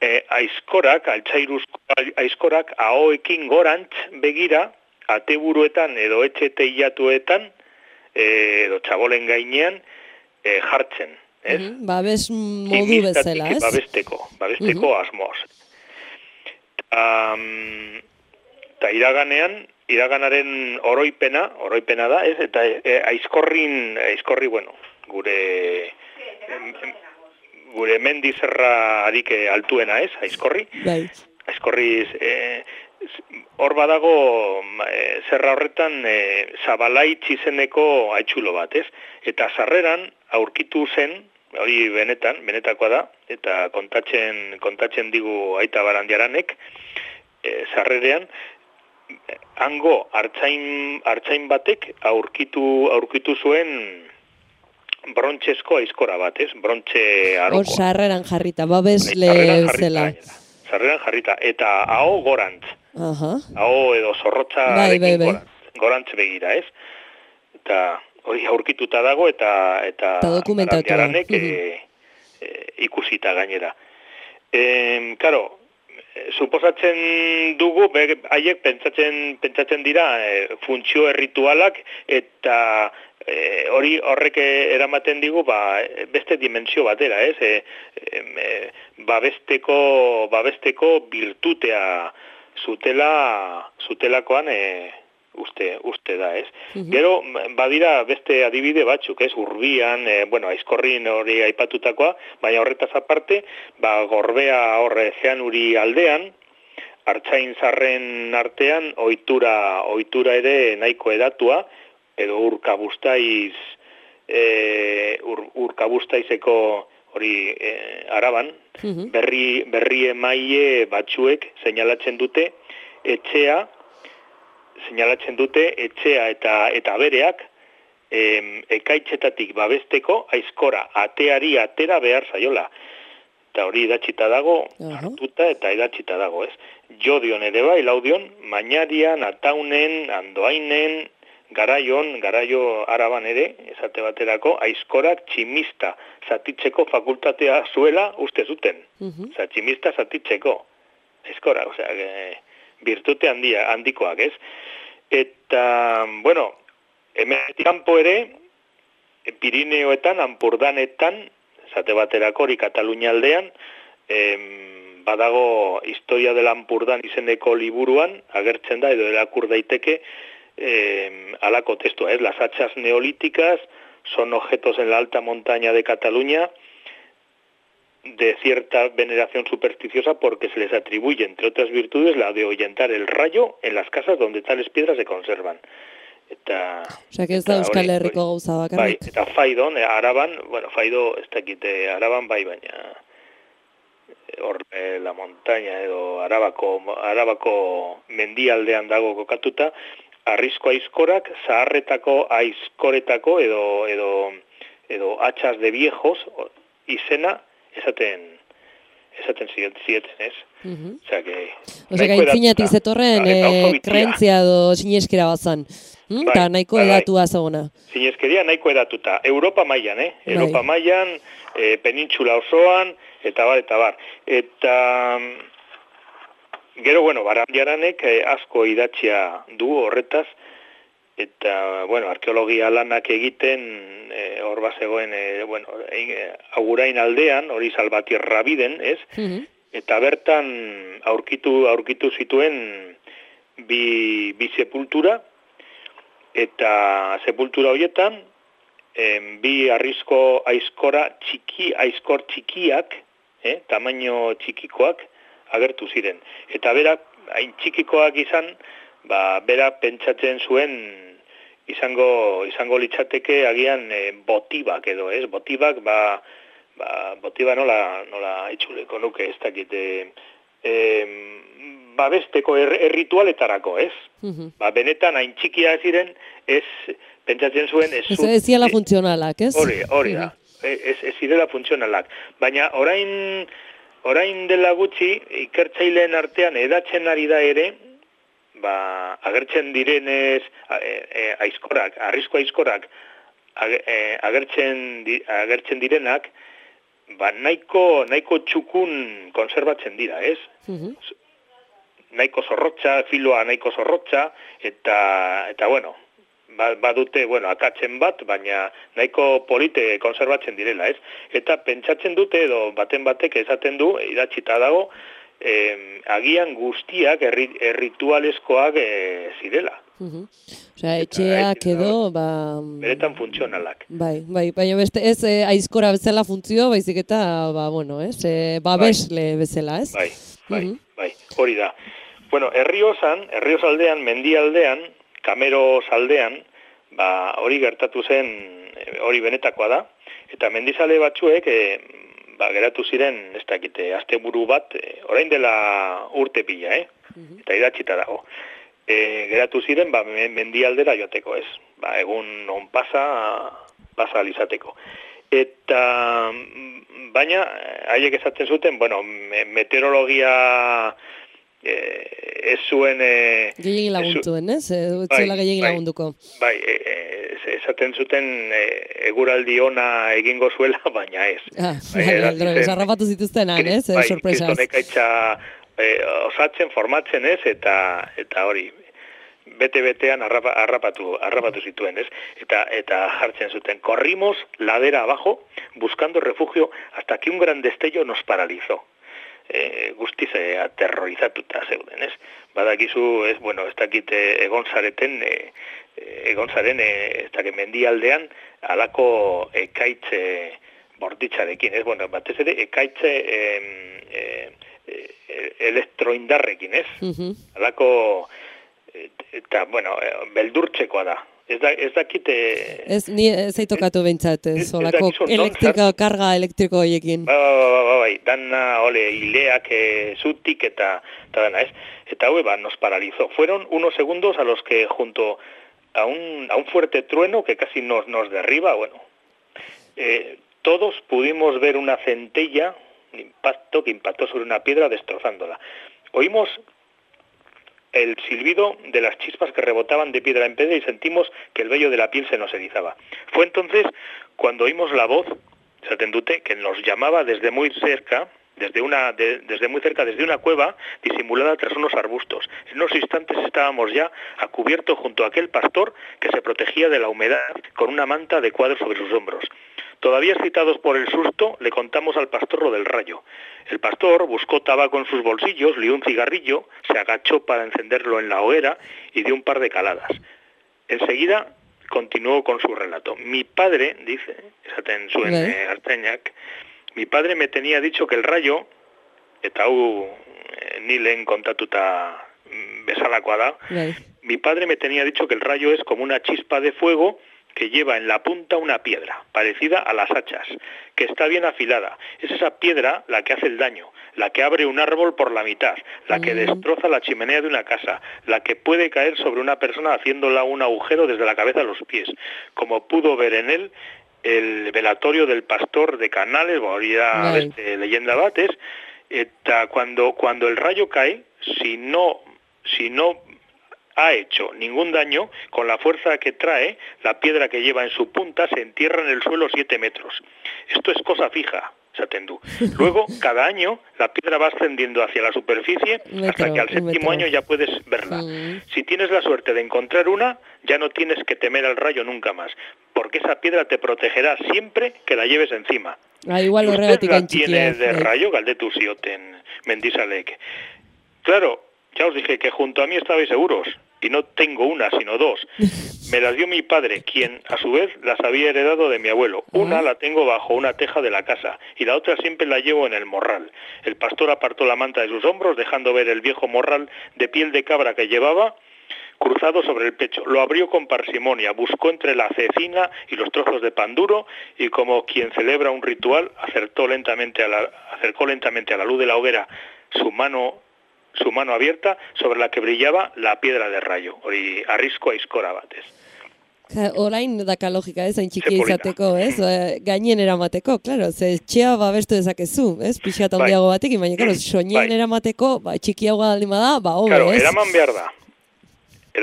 Speaker 4: e, aizkorak, altzairuzko aizkorak ahoekin gorantz begira, ateburuetan edo etxe teilatuetan edo txabolen gainean e, jartzen, ez?
Speaker 2: Mhm. Babes modu
Speaker 4: Tximistatik
Speaker 2: bezala, ez?
Speaker 4: babesteko, babesteko asmoz. Um, eta iraganean, iraganaren oroipena, oroipena da, ez? Eta e, aizkorrin, aizkorri, bueno, gure em, em, gure mendizerra harik altuena, ez? Aizkorri.
Speaker 2: Bai.
Speaker 4: Aizkorri, e, hor badago e, zerra horretan e, Zabalaitz izeneko aitzulo bat, ez? Eta sarreran aurkitu zen, hori benetan, benetakoa da, eta kontatzen, kontatzen digu Aita Barandiaranek, e, sarrerean, hango hartzain, hartzain batek aurkitu, aurkitu zuen brontxezko aizkora bat, ez? Brontxe
Speaker 2: Hor
Speaker 4: arokoa.
Speaker 2: sarreran jarrita, babesle
Speaker 4: Sarreran jarrita,
Speaker 2: zela.
Speaker 4: gainera. Sarreran jarrita, eta aho gorantz.
Speaker 2: Aha.
Speaker 4: Aho edo zorrotza
Speaker 2: Bai, bai, bai.
Speaker 4: gorantz, gorantz begira, ez? Eta hori aurkituta dago eta eta
Speaker 2: Eta dokumentatua.
Speaker 4: Barandiaranek
Speaker 2: Mhm.
Speaker 4: e, e, ikusita gainera. E, karo, e, suposatzen dugu, be, haiek pentsatzen, pentsatzen dira e, funtzio erritualak eta e, hori horrek eramaten digu ba, beste dimentsio batera, ez? E, e, babesteko, babesteko birtutea zutela, zutelakoan e, uste, uste da, ez?
Speaker 2: Mhm.
Speaker 4: Gero, badira beste adibide batzuk, ez? Urbian, e, bueno, aizkorrin hori aipatutakoa, baina horretaz aparte, ba, gorbea horre zeanuri aldean, artzain zarren artean, ohitura, ohitura ere nahiko edatua, edo urkabustaiz, e, ur, urkabustaizeko hori e, araban,
Speaker 2: Mhm.
Speaker 4: berri, berri emaile batzuek seinalatzen dute etxea, seinalatzen dute etxea eta eta bereak em, ekaitzetatik babesteko aizkora ateari atera behar zaiola. Eta hori idatzita dago,
Speaker 2: Aha.
Speaker 4: hartuta eta idatzita dago, ez? Jodion ere bai, laudion, Mañarian, Ataunen, Andoainen, Garaion, Garaio Araban ere, esate baterako, aizkorak tximista zatitzeko fakultatea zuela uste zuten.
Speaker 2: Mhm.
Speaker 4: Osa, tximista zatitzeko. Aizkora, osea, e, virtute handia, handikoak, ez? Eta, bueno, hemetik kanpo ere, Pirineoetan, Ampurdanetan, esate baterako hori Katalunia aldean, em, badago Historia de Lampurdan izeneko liburuan, agertzen da, edo erakur daiteke, eh, alako testua, es, las hachas neolíticas son objetos en la alta montaña de Cataluña de cierta veneración supersticiosa porque se les atribuye, entre otras virtudes, la de ahuyentar el rayo en las casas donde tales piedras se conservan. Eta,
Speaker 2: Osea, que ez da Euskal Herriko gauza bakarrik.
Speaker 4: Bai, eta Faidon, Araban, bueno, Faido, ez dakite, Araban bai, baina hor eh, la montaña edo Arabako, Arabako mendialdean dago kokatuta, arrizko aizkorak, zaharretako aizkoretako edo, edo, edo hachas de viejos izena esaten esaten zieten, ez?
Speaker 2: Uh-huh.
Speaker 4: Osea, que...
Speaker 2: Osea, gaintzinetik zetorren eh, krentzia edo sineskera bazan. Hmm?
Speaker 4: Bai,
Speaker 2: Ta nahiko
Speaker 4: bai, bai.
Speaker 2: edatua zegona.
Speaker 4: Sineskeria nahiko edatuta. Europa mailan, eh? Europa
Speaker 2: Bai.
Speaker 4: mailan, eh, penintxula osoan, eta bar, eta bar. Eta... Gero, bueno, Barandiaranek eh, asko idatzia du horretaz, eta, bueno, arkeologia lanak egiten, eh, hor bazegoen, eh, bueno, eh, Agurain aldean, hori Salvatierra biden, ez?
Speaker 2: Uh-huh.
Speaker 4: Eta bertan aurkitu aurkitu zituen bi, bi sepultura, eta sepultura horietan, em, bi arrizko aizkora txiki, aizkor txikiak, eh, tamaino txikikoak, agertu ziren. Eta berak, hain txikikoak izan, ba, berak pentsatzen zuen izango izango litzateke agian e, botibak edo, ez? Botibak, ba, ba botiba nola, nola itxuleko nuke, ez dakit, e, e, babesteko er, erritualetarako, ez?
Speaker 2: Uh-huh.
Speaker 4: Ba, benetan hain txikia ziren, ez pentsatzen zuen... Ez,
Speaker 2: ez ez ziala funtzionalak, ez?
Speaker 4: Hori, hori da, uh-huh. ez, ez zirela funtzionalak. Baina orain... Orain dela gutxi, ikertzaileen artean edatzen ari da ere, ba, agertzen direnez, e, e, aizkorak, arrizko aizkorak, age, e, agertzen, di, agertzen direnak, ba, nahiko, nahiko txukun konserbatzen dira, ez?
Speaker 2: Uh-huh.
Speaker 4: Nahiko zorrotza, filoa nahiko zorrotza, eta, eta bueno, badute, bueno, akatzen bat, baina nahiko polite konserbatzen direla, ez? Eta pentsatzen dute, edo baten batek esaten du, idatzita dago, eh, agian guztiak erri, erritualezkoak eh, zirela.
Speaker 2: Uh-huh. Osea, etxeak edo, ba...
Speaker 4: Beretan funtzionalak.
Speaker 2: Bai, bai, baina beste ez eh, aizkora bezala funtzio, baizik eta, ba, bueno, ez, eh, babesle bai. Bezala, ez?
Speaker 4: Bai, bai,
Speaker 2: uh-huh.
Speaker 4: bai, hori da. Bueno, Herriosan, Herrioz aldean, mendialdean, Kameros aldean, ba, hori gertatu zen, hori benetakoa da, eta mendizale batzuek, e, ba, geratu ziren, ez dakite, asteburu bat, e, orain dela urte pila, eh? Uh-huh. Eta idatzita dago. E, geratu ziren, ba, mendialdera joateko, ez? Ba, egun on pasa, pasa alizateko. Eta, baina, haiek esaten zuten, bueno, meteorologia... Eh, ez zuen... Eh,
Speaker 2: gehiagin laguntuen, ez? Ezuela bai, gehiagin bai, lagunduko.
Speaker 4: Bai, eh, esaten zuten eh, eguraldi ona egingo zuela, baina ez. Ah,
Speaker 2: bai, bai, zarrapatu zituztenan, ez?
Speaker 4: Bai,
Speaker 2: sorpresaz.
Speaker 4: Kristonek aitza eh, osatzen, formatzen, ez? Eta, eta hori, bete-betean arrapa, arrapatu, arrapatu zituen, ez? Eta, eta jartzen zuten, corrimos ladera abajo, buscando refugio, hasta que un gran destello nos paralizó. E, guztiz e, aterrorizatuta zeuden, ez? Badakizu, ez, bueno, ez dakit egon zareten, e, egon zaren, e, ez dakit mendialdean, alako ekaitze borditzarekin, ez? Bueno, batez ere, ekaitze e, e, e, elektroindarrekin, ez? Uh-huh. Alako, eta, bueno, beldurtzekoa da. Ez, da, ez dakite...
Speaker 2: Ez, ni ez aitokatu behintzat, ez, olako elektriko, karga elektriko horiekin.
Speaker 4: Ba, ba, ba, ba, bai, dana, ole, hileak e, zutik eta, eta dana, ez? Eta hue, ba, nos paralizó. Fueron unos segundos a los que junto a un, a un fuerte trueno que casi nos, nos derriba, bueno, eh, todos pudimos ver una centella, un impacto que impactó sobre una piedra destrozándola. Oímos el silbido de las chispas que rebotaban de piedra en piedra y sentimos que el vello de la piel se nos erizaba. Fue entonces cuando oímos la voz, Satendute, que nos llamaba desde muy cerca, desde una de, desde muy cerca, desde una cueva disimulada tras unos arbustos. En unos instantes estábamos ya a cubierto junto a aquel pastor que se protegía de la humedad con una manta de cuadros sobre sus hombros. Todavía excitados por el susto, le contamos al pastor lo del rayo. El pastor buscó tabaco en sus bolsillos, lió un cigarrillo, se agachó para encenderlo en la hoguera y dio un par de caladas. Enseguida continuó con su relato. Mi padre, dice, esaten zuen eh, Artzainak, mi padre me tenía dicho que el rayo, eta hau eh, ni lehen kontatuta bezalakoa da,
Speaker 2: Bai.
Speaker 4: mi padre me tenía dicho que el rayo es como una chispa de fuego que lleva en la punta una piedra, parecida a las hachas, que está bien afilada. Es esa piedra la que hace el daño, la que abre un árbol por la mitad, la que destroza la chimenea de una casa, la que puede caer sobre una persona haciéndola un agujero desde la cabeza a los pies, como pudo ver en él el velatorio del pastor de Canales, hori da beste leyenda bat, ez? Eta cuando, cuando el rayo cae, si no, si no ha hecho ningún daño, con la fuerza que trae, la piedra que lleva en su punta se entierra en el suelo siete metros. Esto es cosa fija, Satendú. Luego, cada año, la piedra va ascendiendo hacia la superficie metro, hasta que al séptimo año ya puedes verla. Mm. Si tienes la suerte de encontrar una, ya no tienes que temer al rayo nunca más, porque esa piedra te protegerá siempre que la lleves encima.
Speaker 2: Ah, igual
Speaker 4: ¿Usted la tiene de rayo, galdetu zioten Mendizalek? Claro, ya os dije que junto a mí estabais seguros. Y no tengo una, sino dos. Me las dio mi padre, quien a su vez las había heredado de mi abuelo. Una la tengo bajo una teja de la casa y la otra siempre la llevo en el morral. El pastor apartó la manta de sus hombros, dejando ver el viejo morral de piel de cabra que llevaba cruzado sobre el pecho. Lo abrió con parsimonia, buscó entre la cecina y los trozos de pan duro y, como quien celebra un ritual, acertó lentamente a la, acercó lentamente a la luz de la hoguera su mano su mano abierta sobre la que brillaba la piedra de rayo, hori arrizko aizkora batez.
Speaker 2: Orain daka logika, ez, hain txiki izateko, ez, gainen eramateko, claro, ze txea babestu dezakezu, ez, pixat handiago batekin, baina, claro, soinen eramateko, ba, txikiago aldin bada, ba, hobe,
Speaker 4: claro,
Speaker 2: ez?
Speaker 4: Eraman behar da,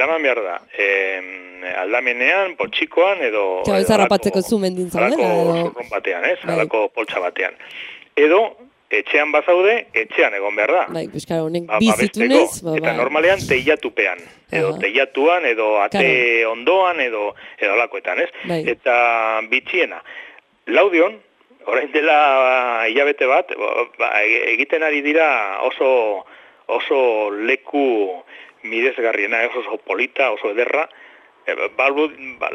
Speaker 4: eraman behar da, eh, aldamenean, poltsikoan, edo...
Speaker 2: Claro, ez harrapatzeko zu mendin zaudela,
Speaker 4: edo... Alako zurrun batean, ez, alako poltsa batean. Edo, etxean bazaude, etxean egon behar da.
Speaker 2: Bai, pues claro, honek ba, bizitunez, ba,
Speaker 4: eta normalean teilatupean, edo uh-huh. teilatuan, edo ate claro. ondoan, edo edo alakoetan, ez?
Speaker 2: Bai.
Speaker 4: Eta bitxiena. Laudion, orain dela hilabete bat, ba, egiten ari dira oso oso leku miresgarriena, oso polita, oso ederra.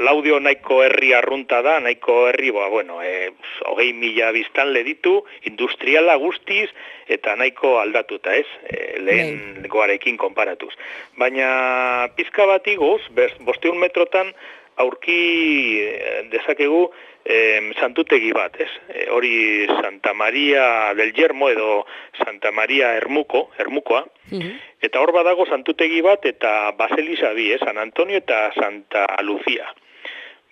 Speaker 4: Laudio nahiko herri arrunta da, nahiko herri, ba, bueno, e, hogei mila biztanle ditu, industriala guztiz, eta nahiko aldatuta, ez? E, lehen goarekin konparatuz. Baina pizka bat igoz, bosteun metrotan aurki dezakegu e, santutegi bat, ez? E, hori Santa Maria del Yermo edo Santa Maria Ermuko, Ermukoa, uh-huh. Eta hor badago santutegi bat eta Baselisa bi, eh? San Antonio eta Santa Lucia.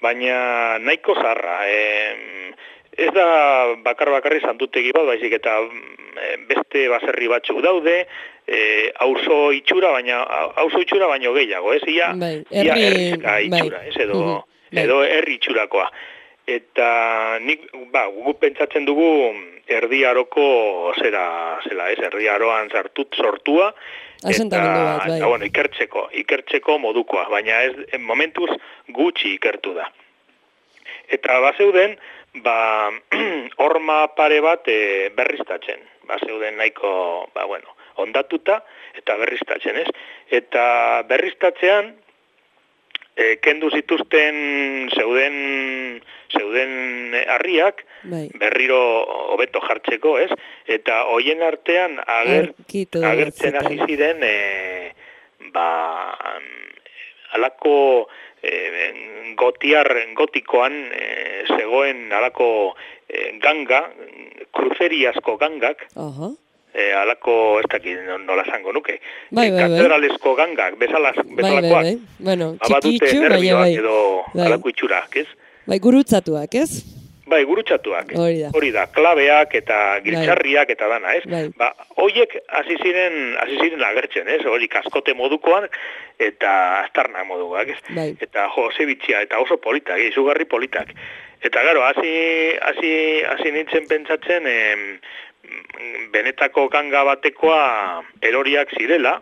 Speaker 4: Baina nahiko zarra, eh, ez da bakar bakarri santutegi bat, baizik eta eh, beste baserri batzuk daude, eh, auzo itxura, baina auzo itxura baino gehiago, ez? Ia,
Speaker 2: bai,
Speaker 4: ia herrizka itxura, ez? Edo, uh-huh. edo herri itxurakoa. Eta nik, ba, guk pentsatzen dugu erdi aroko zera, zela, ez, erdi aroan sartut sortua, eta,
Speaker 2: bat, bai.
Speaker 4: eta bueno, ikertzeko, ikertzeko modukoa, baina ez, momentuz gutxi ikertu da. Eta bazeuden, ba, horma pare bat e, berriztatzen, bazeuden nahiko, ba, bueno, ondatuta eta berriztatzen, ez? Eta berriztatzean, e, kendu zituzten zeuden zeuden harriak, bai. Berriro hobeto jartzeko, ez? Eta hoien artean ager, agertzen hasi ziren e, ba, alako e, gotiar gotikoan e, zegoen alako e, ganga, kruzeriazko gangak, uh-huh. e, alako, ez dakit nola zango nuke,
Speaker 2: bai, bai,
Speaker 4: katedralesko gangak, bezalaz, bezalakoak,
Speaker 2: bai, bai, bai. Bueno,
Speaker 4: txikitxu, baina bai, edo bai. Alako itxurak, ez?
Speaker 2: Bai, gurutzatuak, ez?
Speaker 4: Bai, gurutzatuak.
Speaker 2: Hori da.
Speaker 4: Hori da, klabeak eta giltzarriak eta dana, ez?
Speaker 2: Bai.
Speaker 4: Ba, hoiek hasi ziren, hasi ziren agertzen, ez? Hori kaskote modukoan eta astarna modukoak, ez?
Speaker 2: Bai.
Speaker 4: Eta jo, zebitxia, eta oso politak, izugarri politak. Eta gero, hasi hasi hasi nintzen pentsatzen, em, benetako ganga batekoa eroriak zirela,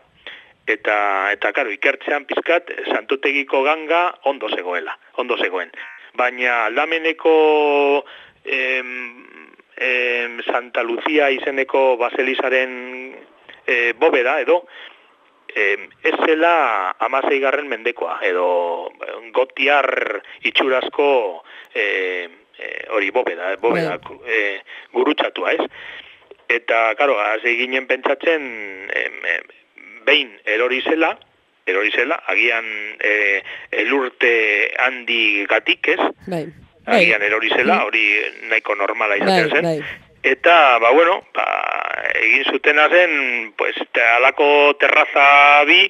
Speaker 4: eta, eta karo, ikertzean pizkat, santutegiko ganga ondo zegoela, ondo zegoen. Baina aldameneko em, em, Santa Lucia izeneko baselizaren e, bobeda edo em, ez zela hamaseigarren mendekoa edo gotiar itxurazko e, e, hori bobeda, bobeda e, gurutxatua, ez? Eta, karo, hasi ginen pentsatzen em, em, behin erori zela, erori zela, agian e, elurte handi gatik, ez?
Speaker 2: Bai.
Speaker 4: Agian erori zela, hori nahiko normala izaten zen.
Speaker 2: Bai, bai.
Speaker 4: Eta, ba, bueno, ba, egin zutena zen, pues, alako terraza bi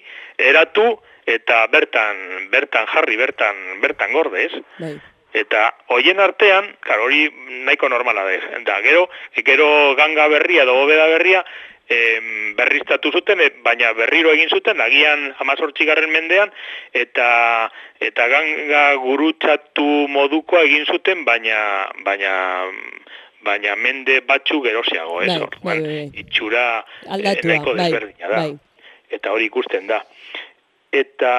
Speaker 4: eratu, eta bertan, bertan jarri, bertan, bertan gorde, ez?
Speaker 2: Bai.
Speaker 4: Eta hoien artean, klar, hori nahiko normala da, ez? Eta gero, gero ganga berria edo bobeda berria, em, berriztatu zuten, et, baina berriro egin zuten, agian hamazortzigarren mendean, eta eta ganga gurutxatu modukoa egin zuten, baina baina baina mende batzu gerosiago, ez?
Speaker 2: Bai,
Speaker 4: Hor,
Speaker 2: bai,
Speaker 4: bueno,
Speaker 2: bai.
Speaker 4: itxura
Speaker 2: Aldatua,
Speaker 4: nahiko
Speaker 2: bai,
Speaker 4: desberdina da.
Speaker 2: bai.
Speaker 4: Eta hori ikusten da. Eta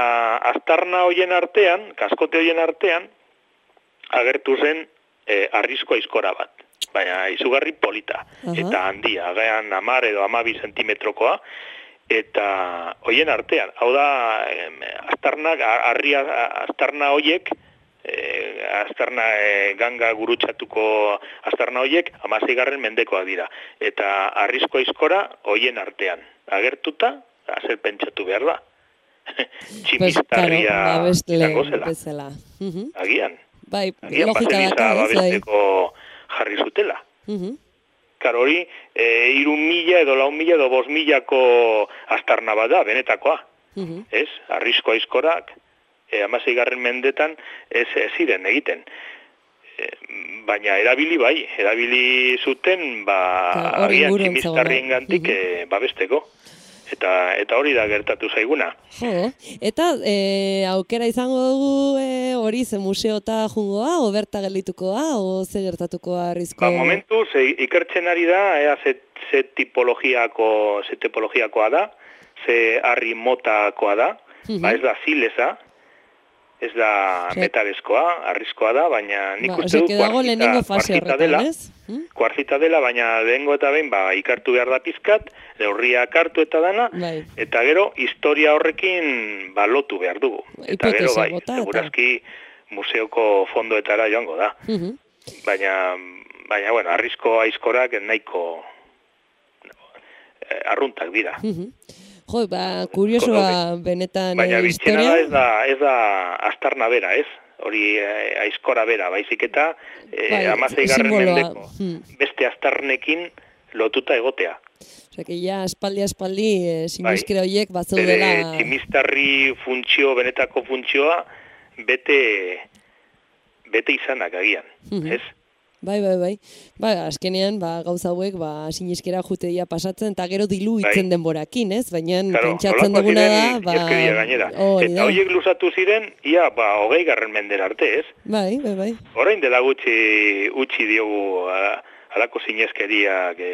Speaker 4: aztarna hoien artean, kaskote hoien artean, agertu zen eh, arrizko aizkora bat. Baina izugarri polita.
Speaker 2: Aha.
Speaker 4: Eta handia, agean amar edo amabi zentimetrokoa. Eta hoien artean, hau da, em, aztarnak, arria, aztarna hoiek, eh, aztarna eh, ganga gurutxatuko aztarna hoiek, hamaseigarren mendekoak dira. Eta arrizko aizkora hoien artean. Agertuta, zer pentsatu behar da. Tximistarria
Speaker 2: pues, claro,
Speaker 4: izango zela.
Speaker 2: bezala. Mhm.
Speaker 4: Agian.
Speaker 2: Bai,
Speaker 4: Agian
Speaker 2: logika
Speaker 4: baseliza
Speaker 2: daka, ez, bai.
Speaker 4: babesteko jarri zutela.
Speaker 2: Mhm.
Speaker 4: Karo hori, e, iru mila edo lau mila edo bost milako aztarna bat da, benetakoa.
Speaker 2: Mhm.
Speaker 4: Ez? Arrizko aizkorak, e, hamaseigarren mendetan ez, ez ziren egiten. E, baina erabili bai, erabili zuten, ba,
Speaker 2: Ka, hori
Speaker 4: agian
Speaker 2: inguruan
Speaker 4: tximistarrien
Speaker 2: zegoela.
Speaker 4: gantik e, babesteko. Eta, eta hori da gertatu zaiguna.
Speaker 2: Jo, eta e, aukera izango dugu e, hori ze museota jungoa, o berta gelditukoa, o ze gertatukoa arrizko...
Speaker 4: Ba, momentuz, e, ikertzen ari da, ea ze, ze tipologiako, ze tipologiakoa da, ze harri motakoa da,
Speaker 2: Mhm.
Speaker 4: ba ez da zileza, ez da
Speaker 2: Ze-
Speaker 4: metalezkoa, arrizkoa da, baina nik
Speaker 2: Ba,
Speaker 4: uste
Speaker 2: ose,
Speaker 4: dut
Speaker 2: que dago lehenengo fase
Speaker 4: kuartzita
Speaker 2: horretan,
Speaker 4: dela,
Speaker 2: ez? Hm?
Speaker 4: kuartzita dela, baina lehengo eta behin, ba, ikartu behar da pizkat, neurriak hartu eta dana,
Speaker 2: Bai.
Speaker 4: eta gero historia horrekin ba, lotu behar dugu. Eta gero
Speaker 2: Hipotesa
Speaker 4: bai,
Speaker 2: bota eta-
Speaker 4: segurazki museoko fondoetara joango da.
Speaker 2: Mhm.
Speaker 4: Baina, baina, bueno, arrizko aizkorak nahiko eh, arruntak dira.
Speaker 2: Mhm. Jo, ba, kuriosoa benetan
Speaker 4: Baina
Speaker 2: eh,
Speaker 4: bitxena
Speaker 2: historia.
Speaker 4: da ez da, ez da aztarna bera, ez? Hori eh, aizkora bera, baizik eta eh,
Speaker 2: Bai,
Speaker 4: hamaseigarren
Speaker 2: simboloa.
Speaker 4: mendeko
Speaker 2: Hmm.
Speaker 4: beste aztarnekin lotuta egotea.
Speaker 2: Osea, que ja espaldi espaldi eh, siniskera horiek
Speaker 4: Bere
Speaker 2: batzeudela...
Speaker 4: tximistarri funtzio, benetako funtzioa, bete, bete izanak agian,
Speaker 2: Mhm.
Speaker 4: ez?
Speaker 2: Bai, bai, bai. Ba, azkenean, ba, gauza hauek, ba, siniskera juteia pasatzen, eta gero diluitzen
Speaker 4: Bai.
Speaker 2: denborakin, ez? Baina
Speaker 4: Claro,
Speaker 2: pentsatzen
Speaker 4: holakoak
Speaker 2: duguna da,
Speaker 4: ziren
Speaker 2: ba...
Speaker 4: ineskeria gainera.
Speaker 2: hori
Speaker 4: Eta
Speaker 2: da.
Speaker 4: horiek luzatu ziren, ia, ba, hogei garren mender arte, ez?
Speaker 2: Bai, bai, bai.
Speaker 4: Orain dela gutxi utzi diogu a, alako zineskeriak e,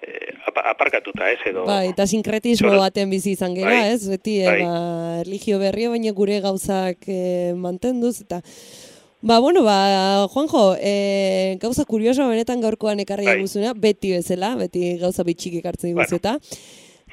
Speaker 4: e, apa- aparkatuta, ez, edo...
Speaker 2: Bai, eta sinkretismo
Speaker 4: Zoro-
Speaker 2: baten bizi izan gera,
Speaker 4: Bai,
Speaker 2: ez? Beti, eh,
Speaker 4: bai.
Speaker 2: ba, erlijio berria, baina gure gauzak eh, mantenduz, eta... Ba, bueno, ba, Juanjo, eh, gauza kurioso benetan gaurkoan ekarri
Speaker 4: Bai.
Speaker 2: diguzuna, beti bezala, beti gauza bitxik ekartzen
Speaker 4: Bueno.
Speaker 2: diguzu eta.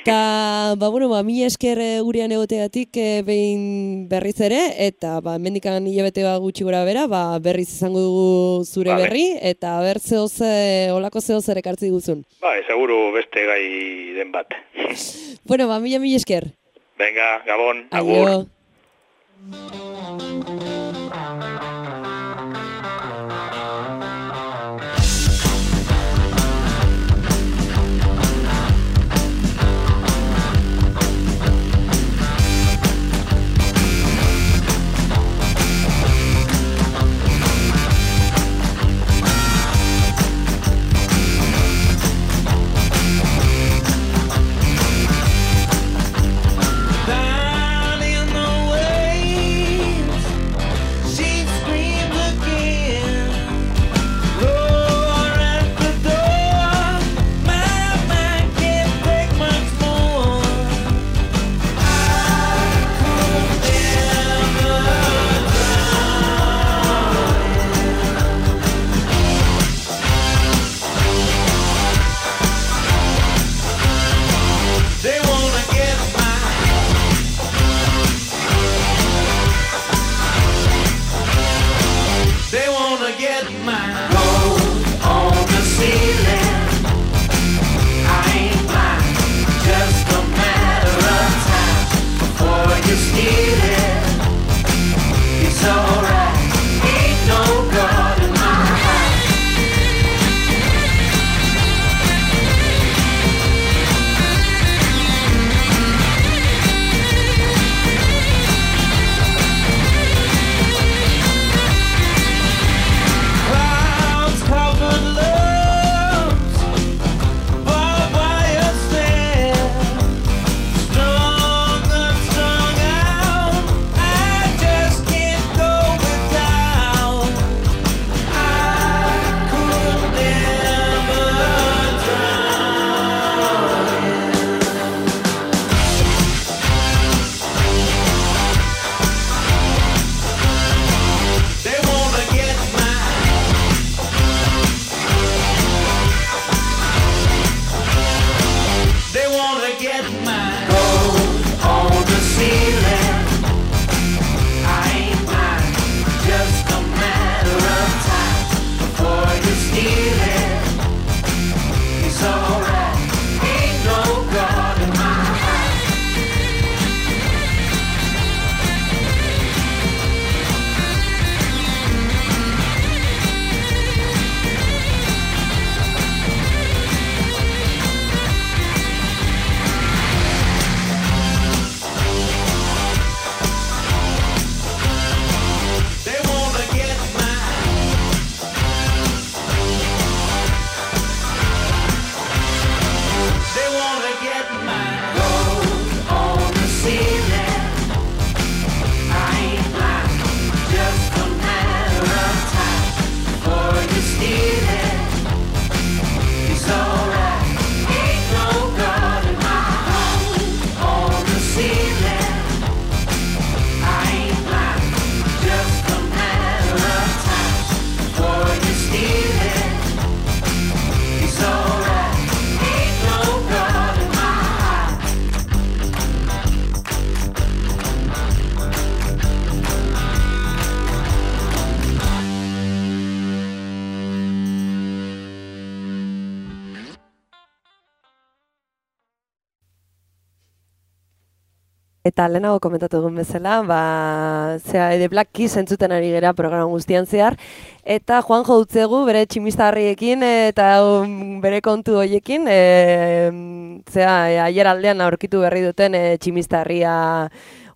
Speaker 2: Eta, ba, bueno, ba, mila esker eh, gurean egoteatik eh, behin berriz ere, eta, ba, mendikan hilabete bat gutxi gora bera, ba, berriz izango dugu zure
Speaker 4: Vale.
Speaker 2: berri, eta ber zehoz, eh, olako zehoz ere ekartzi diguzun.
Speaker 4: Ba, seguru beste gai den bat.
Speaker 2: Bueno, ba, mila mila esker.
Speaker 4: Venga, Gabon, agur.
Speaker 2: Aio.
Speaker 5: Down in the way you steal it, it's alright. Ain't no God in my heart. Clouds covered looms, barbed wire stand, strung and strung out. I just can't go without. I could never drown. They wanna get mine. They wanna get mine. Gold on the ceiling. I ain't mine. Just a matter of time before you steal it. It's alright. Ain't no God in my heart. They wanna get mine. They wanna get mine. Gold on the ceiling. I ain't mine. Just a matter of time before you steal it. It's alright. Ain't no God in my heart. On the ceiling. I ain't mine. Just a matter of time before you steal it. It's alright. Ain't no God in my heart.
Speaker 2: Eta lehenago komentatu egun bezala, ba, zera, The Black Keys entzuten ari gera programa guztian zehar, eta Juanjo utzegu bere tximistarriekin eta um, bere kontu hoiekin, e, zera, e, aier aldean aurkitu berri duten e, tximistarria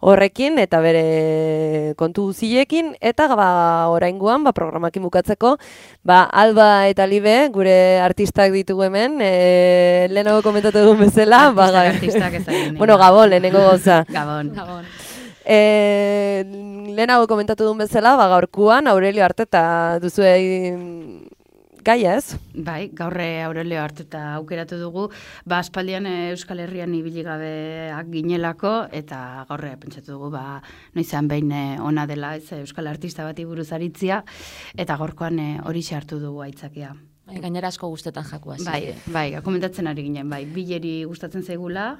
Speaker 2: horrekin eta bere kontu guziekin, eta ba, oraingoan ba, programakin bukatzeko, ba, Alba eta Libe, gure artistak ditugu hemen, e, lehenago komentatu egun bezala, ba,
Speaker 6: Artistak, artistak ez da ginen.
Speaker 2: bueno, Gabon, lehenengo goza.
Speaker 6: Gabon. Gabon.
Speaker 2: E, lehenago komentatu duen bezala, ba, gaurkuan Aurelio Arteta duzue gaia, ez?
Speaker 6: Bai, gaurre Aurelio Arteta aukeratu dugu, ba, aspaldian eh, Euskal Herrian ibili gabeak ginelako, eta gaurre pentsatu dugu, ba, noizean behin eh, ona dela, ez, Euskal Artista bati buruz aritzia, eta gaurkoan eh, hori hartu dugu aitzakia.
Speaker 7: Bai, gainera asko gustetan jakua.
Speaker 6: Bai, bai, komentatzen ari ginen, bai, bileri gustatzen zaigula,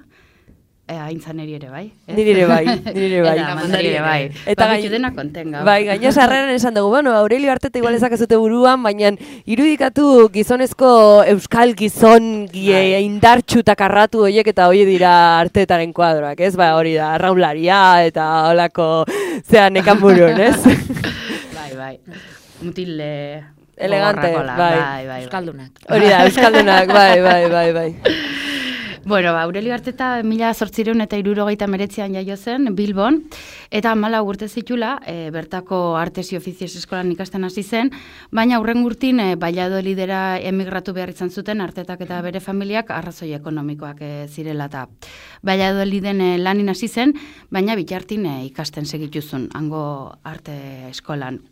Speaker 6: E, aintzaneri ere, bai? Eh?
Speaker 2: Niri ere bai, niri ere bai.
Speaker 6: Eta mandari ere bai.
Speaker 2: Eta
Speaker 6: Babitu dena konten gau.
Speaker 2: Bai, gaina sarreran esan dugu, bueno, Aurelio Arteta igual ezakazute buruan, baina irudikatu gizonezko euskal gizon gie, indartxu eta karratu horiek eta hori dira Artetaren kuadroak, ez? Ba, hori da, arraularia eta holako, zea nekan burun, ez?
Speaker 6: Bai, bai. Mutil eh,
Speaker 2: elegante,
Speaker 6: gogorrakola.
Speaker 2: bai.
Speaker 6: Bai, bai.
Speaker 7: Euskaldunak.
Speaker 2: Hori da, euskaldunak, bai, bai, bai, bai.
Speaker 6: Bueno, ba, Aurelio Arteta mila zortzireun eta hirurogeita hemeretzian jaio zen Bilbon, eta hamalau urte zitula, e, bertako Artes y Oficios eskolan ikasten hasi zen, baina hurren urtin e, Valladolidera emigratu behar izan zuten Artetak eta bere familiak arrazoi ekonomikoak e, zirela eta Valladoliden e, lanin hasi zen, baina bitartin e, ikasten segituzun, hango arte eskolan.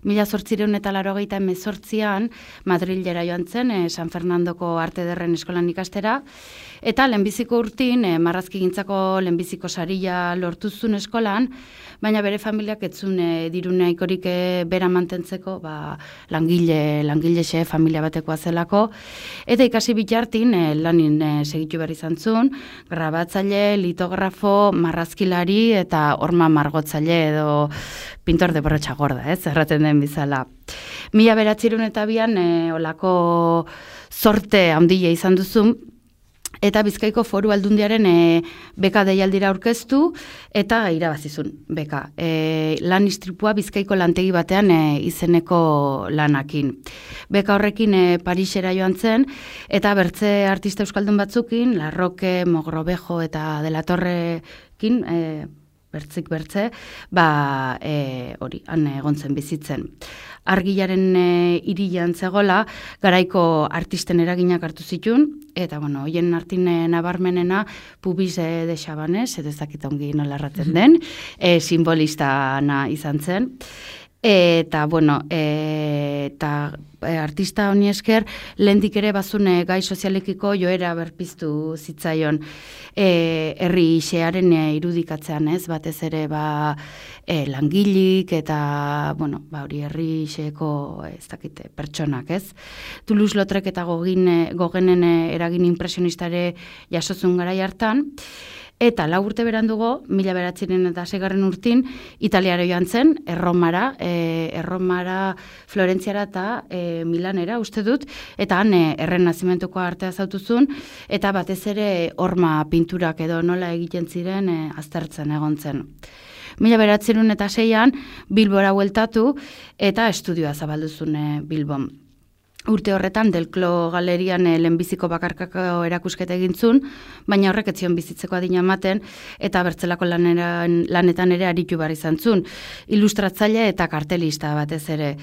Speaker 6: Mila zortzireun eta larogeita hemezortzian Madrilera joan zen, e, San Fernandoko Arte Ederren eskolan ikastera, eta lehenbiziko urtin, e, marrazkigintzako lehenbiziko saria lortuzun eskolan, baina bere familiak etzun e, dirunaikorik e, bera mantentzeko, ba, langile, langilexe familia batekoa zelako, eta ikasi bitartin e, lanin e, segitu behar izan zuen, grabatzaile, litografo, marrazkilari eta horma margotzaile edo pintor de borratxa gorda, ez, erraten den bizala. Mila beratzirun eta bian, e, olako zorte handia izan duzun, eta Bizkaiko Foru Aldundiaren e, beka deialdira aurkeztu eta irabazizun beka. E, lan istripua Bizkaiko lantegi batean e, izeneko lanakin. Beka horrekin e, Parisera joan zen eta bertze artista euskaldun batzukin, Larroque, Mogrovejo eta De la Torrekin, e, bertzik bertze, ba, e, hori, han egon zen bizitzen. Argilaren e, irian zegola, garaiko artisten eraginak hartu zituen, eta, bueno, hoien artin e, nabarmenena Pubis e, de Chabannes, edo ez dakit ongi nola erraten den, e, simbolistana izan zen. Eta, bueno, e, eta e, artista honi esker, lehendik ere bazune gai sozialekiko joera berpiztu zitzaion e, herri xearen e, irudikatzean, ez, batez ere ba, e, langilik eta, bueno, ba, hori herri xeeko ez dakite, pertsonak, ez. Toulouse-Lautrec eta gogin, e, gogenen e, eragin impresionistare jasozun garai hartan, eta lau urte berandugo, mila beratziren eta segarren urtin, Italiara joan zen, Erromara, e, Erromara, Florentziara eta e, Milanera, uste dut, eta han e, errenazimentuko artea zautuzun, eta batez ere horma pinturak edo nola egiten ziren e, aztertzen egon zen. Mila beratzerun eta seian, Bilbora hueltatu, eta estudioa zabalduzun e, Bilbon. Urte horretan, Delclo galerian e, lehenbiziko bakarkako erakusketa egintzun, baina horrek etzion bizitzeko adina ematen, eta bertzelako laneran, lanetan ere aritu bar izan zun. Ilustratzaile eta kartelista batez ere.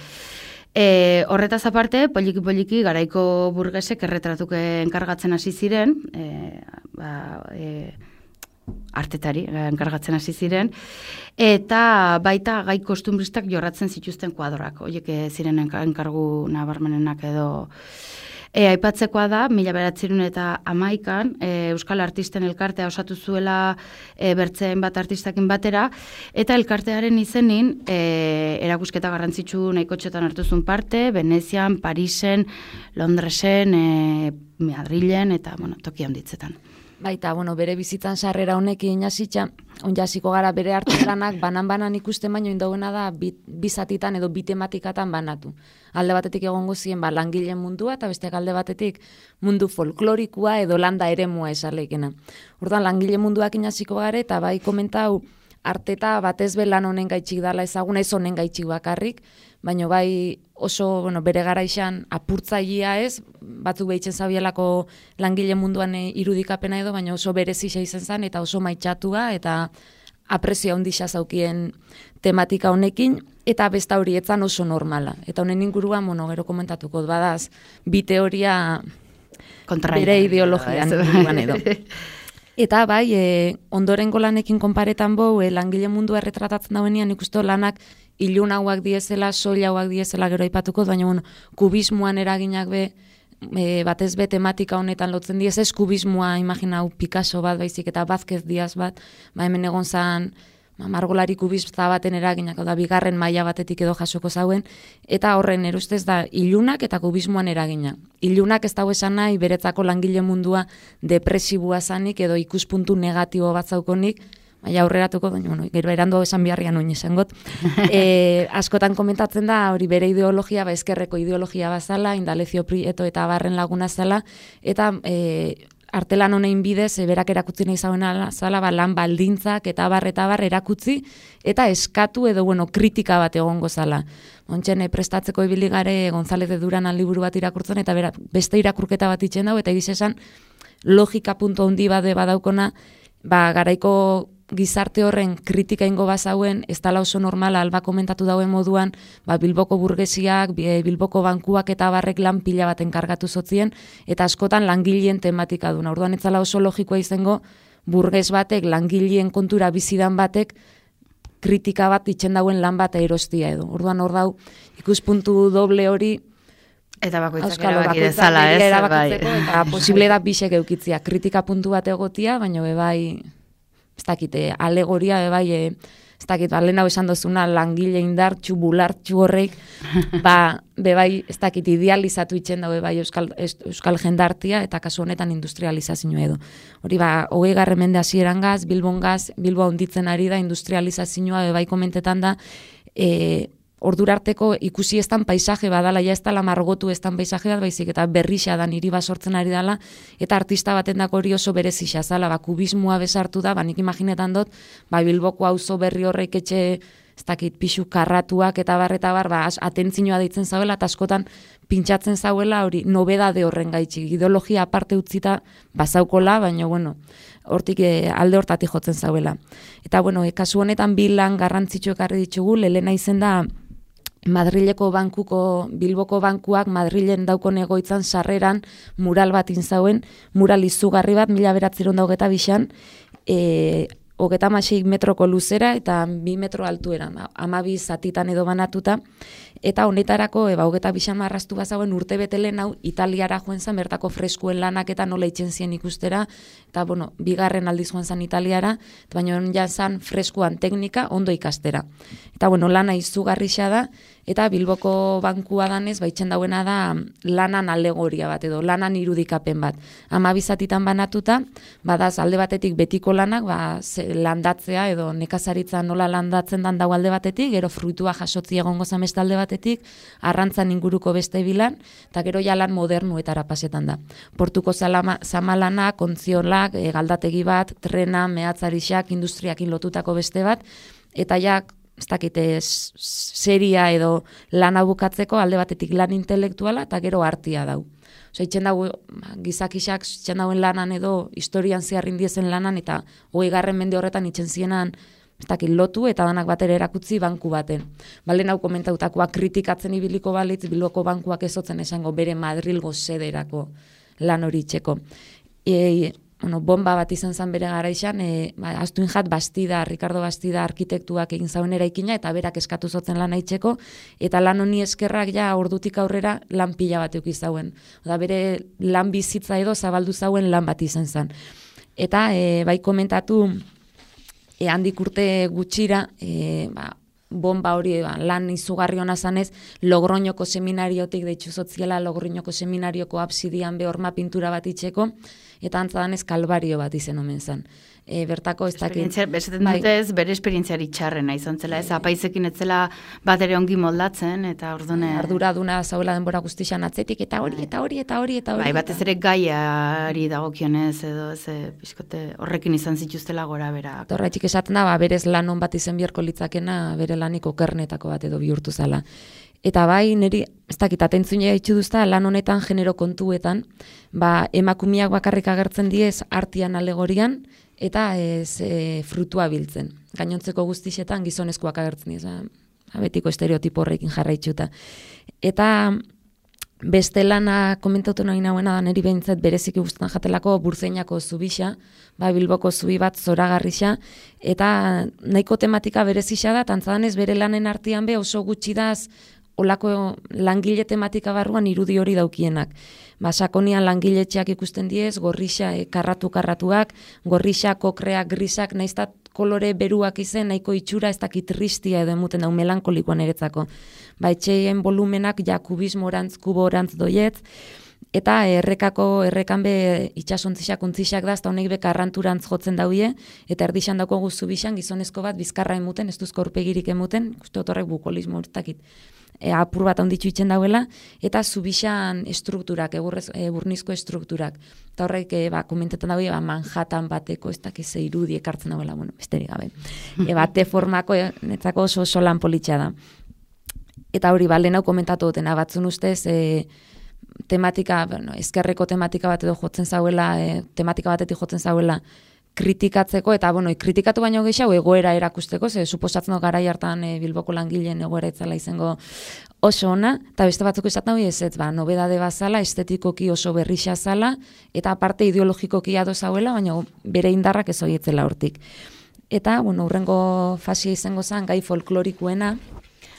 Speaker 6: E, horretaz aparte, poliki-poliki garaiko burgesek erretratuke enkargatzen hasi ziren, e, ba, e, artetari enkargatzen hasi ziren, eta baita gai kostumbristak jorratzen zituzten kuadroak, horiek ziren enkargu nabarmenenak edo. E, aipatzekoa da, mila beratzerun eta hamaikan, e, Euskal Artisten elkartea osatu zuela e, bertzeen bat artistakin batera, eta elkartearen izenin e, erakusketa garrantzitsu nahiko txotan hartuzun parte, Venezian, Parisen, Londresen, e, Madrilen, eta bueno, toki handitzetan.
Speaker 7: Baita, bueno, bere bizitzan sarrera honekin jasitza, onjasiko gara bere artelanak banan-banan ikusten baino indauena da bizatitan edo bi tematikatan banatu. Alde batetik egongo zien ba, langileen mundua eta besteak alde batetik mundu folklorikua edo landa eremua esalekena. Orduan langile munduak inaziko gara eta bai komentau arteta batez be lan honen gaitxik dala ezaguna, ez honen gaitxik bakarrik, baina bai oso bueno, bere garaixan apurtzailea ez, batzuk behitzen zabielako langile munduan irudikapena edo, baina oso berezia izan zen eta oso maitxatua eta aprezio handia zaukien tematika honekin, eta besta hori etzan oso normala. Eta honen inguruan, bueno, gero komentatuko badaz, bi teoria bere ideologian inguruan edo. Eta bai, e, ondorengo lanekin konparetan bau, e, langile mundua erretratatzen dauenean ikustu lanak ilunauak diezela, soilauak diezela gero aipatuko, baina bueno, kubismoan eraginak be, e, batez be tematika honetan lotzen diez, ez kubismoa imaginau Picasso bat baizik eta Vázquez Diaz bat, ba hemen egon zan ba, margolari kubista baten eraginak, da bigarren maila batetik edo jasoko zauen, eta horren erustez da ilunak eta kubismoan eragina. Ilunak ez dago esan nahi beretzako langile mundua depresibua zanik edo ikuspuntu negatibo bat zaukonik, baina aurreratuko, baina, bueno, gero erandu esan biharrian oin esangot. E, askotan komentatzen da, hori bere ideologia, ba, ezkerreko ideologia bazala, Indalecio Prieto eta Barren laguna zala, eta e, artelan honein bidez, e, berak erakutzi nahi zauen zala, ba, lan baldintzak eta bar eta bar erakutzi, eta eskatu edo, bueno, kritika bat egongo zala. Ontsen, e, prestatzeko ibili gare González de Duran liburu bat irakurtzen, eta bera, beste irakurketa bat itxen dau, eta egiz esan, logika puntu handi bade badaukona, ba, garaiko gizarte horren kritika ingo bazauen, ez dala oso normala alba komentatu dauen moduan, ba, Bilboko burgesiak, Bilboko bankuak eta barrek lan pila bat enkargatu zotzien, eta askotan langileen tematika duna. Orduan ez dala oso logikoa izango, burges batek, langileen kontura bizidan batek, kritika bat itxen dauen lan bat erostia edo. Orduan hor dau, ikuspuntu doble hori,
Speaker 6: eta bakoitzak
Speaker 7: Auskalo,
Speaker 6: erabaki dezala, ez?
Speaker 7: Erabakitzeko, bai. Eta posible da bisek eukitzia, kritika puntu bat egotia, baina bebai, ez dakite, alegoria, bebai, e, ez dakit, ba, lehen hau esan dozuna, langile indartxu, bulartxu horrek, ba, bebai, ez dakit, idealizatu itxen da, bebai, euskal, euskal jendartia, eta kasu honetan industrializazio edo. Hori, ba, hogei garren mende hasieran gaz, Bilbon gaz, Bilboa hunditzen ari da, industrializazioa, bebai, komentetan da, e, ordurarteko ikusi estan paisaje badala, ja ez dala margotu estan paisaje bat, baizik eta berrixa da niri basortzen ari dala, eta artista baten dako hori oso berezia zala, ba, kubismoa besartu da, ba, nik imaginetan dut, ba, Bilboko auzo berri horrek etxe, ez dakit, pixu karratuak eta bar, eta bar, ba, atentzinoa deitzen zauela, eta askotan pintxatzen zauela, hori, nobedade horren gaitxik, ideologia aparte utzita bazaukola, baina, bueno, hortik e, alde hortatik jotzen zauela. Eta, bueno, e, kasu honetan bi lan garrantzitsu ekarri ditugu, lehena izen da, Madrileko bankuko, Bilboko bankuak Madrilen daukon egoitzan sarreran mural bat inzauen, mural izugarri bat, mila beratzeron daugeta bixan, e, hogeta masei metroko luzera eta bi metro altuera, amabi zatitan edo banatuta, eta honetarako, eba, hogeta bixan marraztu bazauen urte betelen hau Italiara joen zan, bertako freskuen lanak eta nola itxen zien ikustera, eta, bueno, bigarren aldiz joen zan Italiara, baina ja zan freskuan teknika ondo ikastera. Eta, bueno, lana izugarrixa da, eta Bilboko bankua danez, baitzen dauena da lanan alegoria bat edo, lanan irudikapen bat. Amabizatitan banatuta, badaz alde batetik betiko lanak, ba, landatzea edo nekazaritza nola landatzen dan dau alde batetik, gero fruitua jasotzi egongo zamesta alde batetik, arrantzan inguruko beste bilan, eta gero jalan modernuetara pasetan da. Portuko zalama, zamalana, kontziolak, e, galdategi bat, trena, mehatzarixak, industriakin lotutako beste bat, eta ja, ez dakite, seria edo lana bukatzeko alde batetik lan intelektuala eta gero artia dau. Osa, itxen dago, gizakisak itxen dauen lanan edo historian zeharrin diezen lanan eta hogei garren mende horretan itxen zienan ez dakit, lotu eta danak batera erakutzi banku baten. Balen hau komentautakoa kritikatzen ibiliko balitz, Bilboko bankuak ezotzen esango bere Madrilgo sederako lan hori itxeko. E, bueno, bomba bat izan zen bere garaixan, e, ba, Astuin Jat Bastida, Ricardo Bastida arkitektuak egin zauen eraikina eta berak eskatu zotzen lan aitzeko, eta lan honi eskerrak ja ordutik aurrera lan pila bat euki zauen. Oda bere lan bizitza edo zabaldu zauen lan bat izan zen. Eta e, bai komentatu e, handik urte gutxira, e, ba, bomba hori ba, lan izugarri hona zanez, Logroñoko seminariotik deitzu zotziela, Logroñoko seminarioko absidian behorma pintura bat itxeko, eta antzadanez kalbario bat izen omen zen. E, bertako ez dakit...
Speaker 6: Bezaten dute ez, bere esperientziari txarrena izan zela, ez apaizekin etzela bat ere ongi moldatzen, eta ordune...
Speaker 7: Arduraduna zauela denbora guztixan atzetik, eta hori, eta hori, eta hori, eta hori.
Speaker 6: Bai, batez ere gaiari dagokionez, edo ez, pixkote, horrekin izan zituztela gora bera.
Speaker 7: Horretik esaten da, ba, berez lan on bat izen biharko litzakena, bere lanik okernetako bat edo bihurtu zala. Eta bai, niri, ez dakit, atentzunea itxu duzta, lan honetan genero kontuetan, ba, emakumiak bakarrik agertzen diez artian alegorian, eta ez e, frutua biltzen. Gainontzeko guztixetan gizonezkoak agertzen diez, ba, betiko estereotipo horrekin jarraitxuta. Eta beste lana komentatu nahi nahuena da, niri behintzat bereziki guztan jatelako Burzeinako zubixa, ba, Bilboko zubi bat zoragarrixa, eta nahiko tematika berezixa da, tantzadanez bere lanen artean be oso gutxi daz, olako langile tematika barruan irudi hori daukienak. Ba, sakonian langiletxeak ikusten diez, gorrixa e, karratu-karratuak, gorrixa, kokreak, grisak, naiztat kolore beruak izen, nahiko itxura ez dakit tristia edo emuten dau melankolikoan eretzako. Ba, etxeien volumenak ja kubismorantz, kuborantz doietz, eta errekako, errekan be itxasontzixak, ontzixak da, eta honek be karranturantz jotzen dauie, eta erdixan dauko guzu bixan, gizonezko bat bizkarra emuten, ez duzko aurpegirik emuten, uste otorrek bukolismo hortakit. E, apur bat onditxu itzen dauela, eta zubixan estrukturak, egurrez, e, burnizko estrukturak. Eta horrek, e, ba, komentetan daude, ba, Manhattan bateko, ez dakiz irudi ekartzen dauela, bueno, besterik gabe. E, bate formako, e, netzako oso, oso lan politxa da. Eta hori, ba, lehen hau komentatu dutena, batzun ustez, e, tematika, bueno, ezkerreko tematika bat edo jotzen zauela, e, tematika batetik jotzen zauela, kritikatzeko, eta, bueno, kritikatu baino gehiago egoera erakusteko, ze suposatzen dut garai hartan e, Bilboko langileen egoera itzala izango oso ona, eta beste batzuk esaten hori ez, ez, ba, nobedade bazala, estetikoki oso berrixa zala, eta aparte ideologikoki ado zauela, baina bere indarrak ez horietzela hortik. Eta, bueno, hurrengo fasia izango zen, gai folklorikuena.